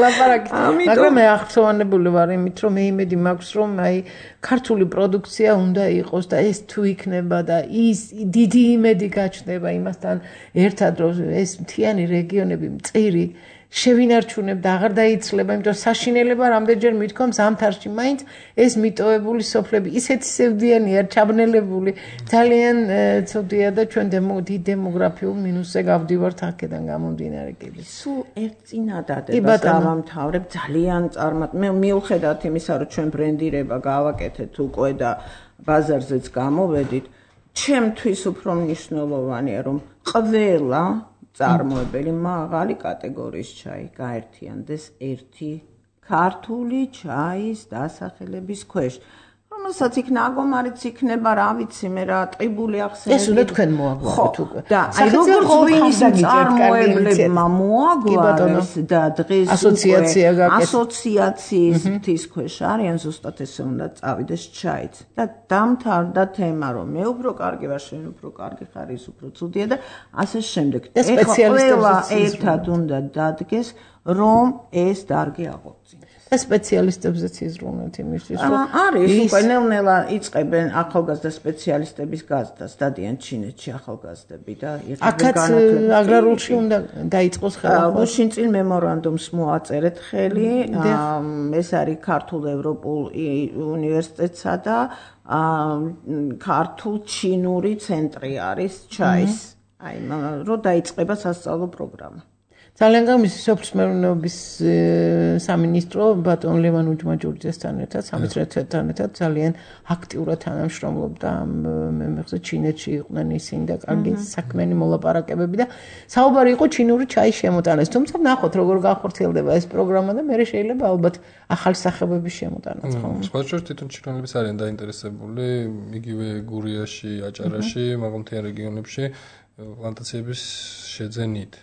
ლაპარაკით. მაგრამ მე აღწევანებული ვარ იმით რომ მე იმედი მაქვს რომ აი ქართული პროდუქცია უნდა იყოს და ეს თუ იქნება და ის დიდი იმედი გაჩნდება იმასთან ერთად რომ ეს მთიანი რეგიონები მწირი შევინარჩუნებ და აღარ დაიცლება, იმიტომ საშინელება რამდენჯერ მithkoms ამთარში მაინც ეს მიტოვებული სოფლები ისეთი სევდიანია, ჩაბნელებული, ძალიან ცუდია და ჩვენ დიდ დემოგრაფიულ მინუსზე გავდივართ აქედან გამომდინარე კიდე. სულ ერთ წინადადებას დავამთავრებ ძალიან მე მიუხედავად იმისა, რომ ჩვენ ბრენდირება გავაკეთეთ უკვე და ბაზარზეც გამოვედით, ჩემთვის უფრო მნიშვნელოვანია რომ ყველა წარმოებელი მაღალი კატეგორიის ჩაი გაერთიანდეს ერთი ქართული ჩაის დასახელების ქვეშ. რომელსაც იქ ნაგომარიც იქნება, რა ვიცი მე რა ტყიბული ახსენები. ეს უნდა თქვენ მოაგვაროთ უკვე. და აი როგორც ვინის წარმოებლებმა მოაგვარეს და დღეს ასოციაციის თვის ქვეშ არიან ზუსტად ესე უნდა წავიდეს ჩაიც. და დამთავრდა თემა რომ მე უფრო კარგი ვარ, შენ უფრო კარგი ხარ, ის უფრო ცუდია და ასე შემდეგ. ეხლა ერთად უნდა დადგეს რომ ეს დარგი აღორძინდეს. სპეციალისტებზეც იზრუნოთ იმისთვის რომ არის უკვე ნელ-ნელა იწყებენ ახალგაზრდა სპეციალისტების გაზრდას დადიან ჩინეთში ახალგაზრდები და აქაც აგრარულში უნდა დაიწყოს ხელახლა. გუშინ წინ მემორანდუმს მოაწერეთ ხელი, ეს არის ქართულ ევროპულ უნივერსიტეტსა და ქართულ ჩინური ცენტრი არის ჩაის. აი რომ დაიწყება სასწავლო პროგრამა. ძალიან გამის სოფლის მეურნეობის სამინისტრო ბატონ ლევან უჯმაჯურიძესთან ერთად სამეცნიეროებთან ერთად ძალიან აქტიურად თანამშრომლობდა ამ მეხზე ჩინეთში იყვნენ ისინი და კარგი საქმიანი მოლაპარაკებები და საუბარი იყო ჩინური ჩაის შემოტანას. თუმცა ნახოთ როგორ განხორციელდება ეს პროგრამა და მე შეიძლება ალბათ ახალი სახეობების შემოტანაც ხო? სხვა შორის თვითონ ჩინელებს არიან დაინტერესებული იგივე გურიაში, აჭარაში, მაგალითად რეგიონებში პლანტაციების შეძენით.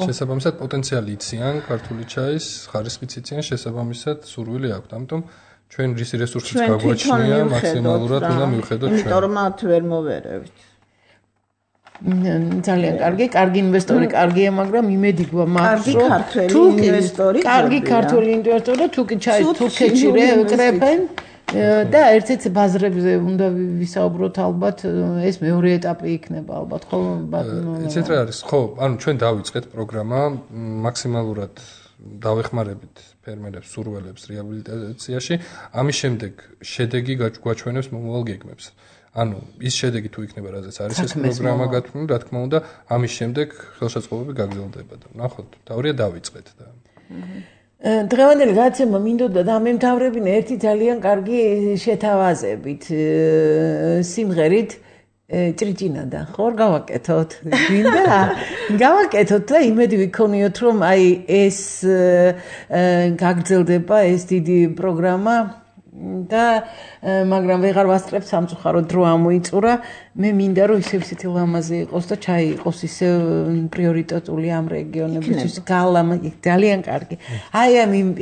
შესაბამისად პოტენციალი იციან ქართული ჩაის, ხარისხიც იციან, შესაბამისად სურვილი აქვთ. ამიტომ ჩვენ რისი რესურსიც გაგვაჩნია, მაქსიმალურად უნდა მივხედოთ ჩვენ. იმიტომ რომ მათ ვერ მოვერევით. ძალიან კარგი ინვესტორი კარგია, მაგრამ იმედი გვაქვს, რომ კარგი ქართველი ინვესტორი თუ კი ჩაის თურქეთში ეკრეფენ და ერთ-ერთ ბაზრებზე უნდა ვისაუბროთ ალბათ ეს მეორე ეტაპი იქნება ალბათ ხო იცით რა არის ხო ანუ ჩვენ დავიწყეთ პროგრამა მაქსიმალურად დავეხმარებით ფერმერებს სურველებს რეაბილიტაციაში ამის შემდეგ შედეგი გვაჩვენებს მომავალ გეგმებს ანუ ის შედეგი თუ იქნება რაზეც არის ეს პროგრამა გათვლილი რა თქმა უნდა ამის შემდეგ ხელშეწყობები გაგრძელდება და ნახოთ თავრია დავიწყეთ და დღევანდელი გადაცემა მინდოდა დამემთავრებინა ერთი ძალიან კარგი შეთავაზებით სიმღერით ჭრიჭინადა ხორ გავაკეთოთ გინდა გავაკეთოთ და იმედი ვიქონიოთ რომ აი ეს გაგრძელდება ეს დიდი პროგრამა და მაგრამ ვეღარ ვასწრებ სამწუხაროდ დრო ამოიწურა მე მინდა რომ ისეთი ლამაზი იყოს და ჩაიყოს ისე პრიორიტეტული ამ რეგიონებისთვის გალამა ძალიან კარგი აი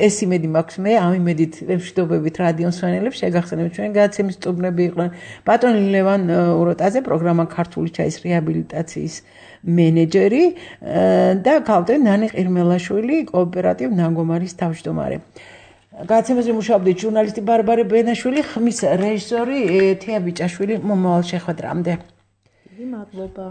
ეს იმედი მაქვს მე ამ იმედით მშვიდობებით რადიო მსმენელებს შეგახსენებთ ჩვენ გადაცემის სტუმრები იყვნენ ბატონი ლევან უროტაძე პროგრამა ქართული ჩაის რეაბილიტაციის მენეჯერი და ქალტე ნანი ყირმელაშვილი კოოპერატივ ნანგომარის თავმჯდომარე გადაცემაზე მუშაობდით ჟურნალისტი ბარბარე ბენაშვილი, ხმის რეჟისორი თეა ბიჭაშვილი მომავალ შეხვედრამდე. დიდი მადლობა.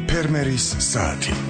ფერმერის საათი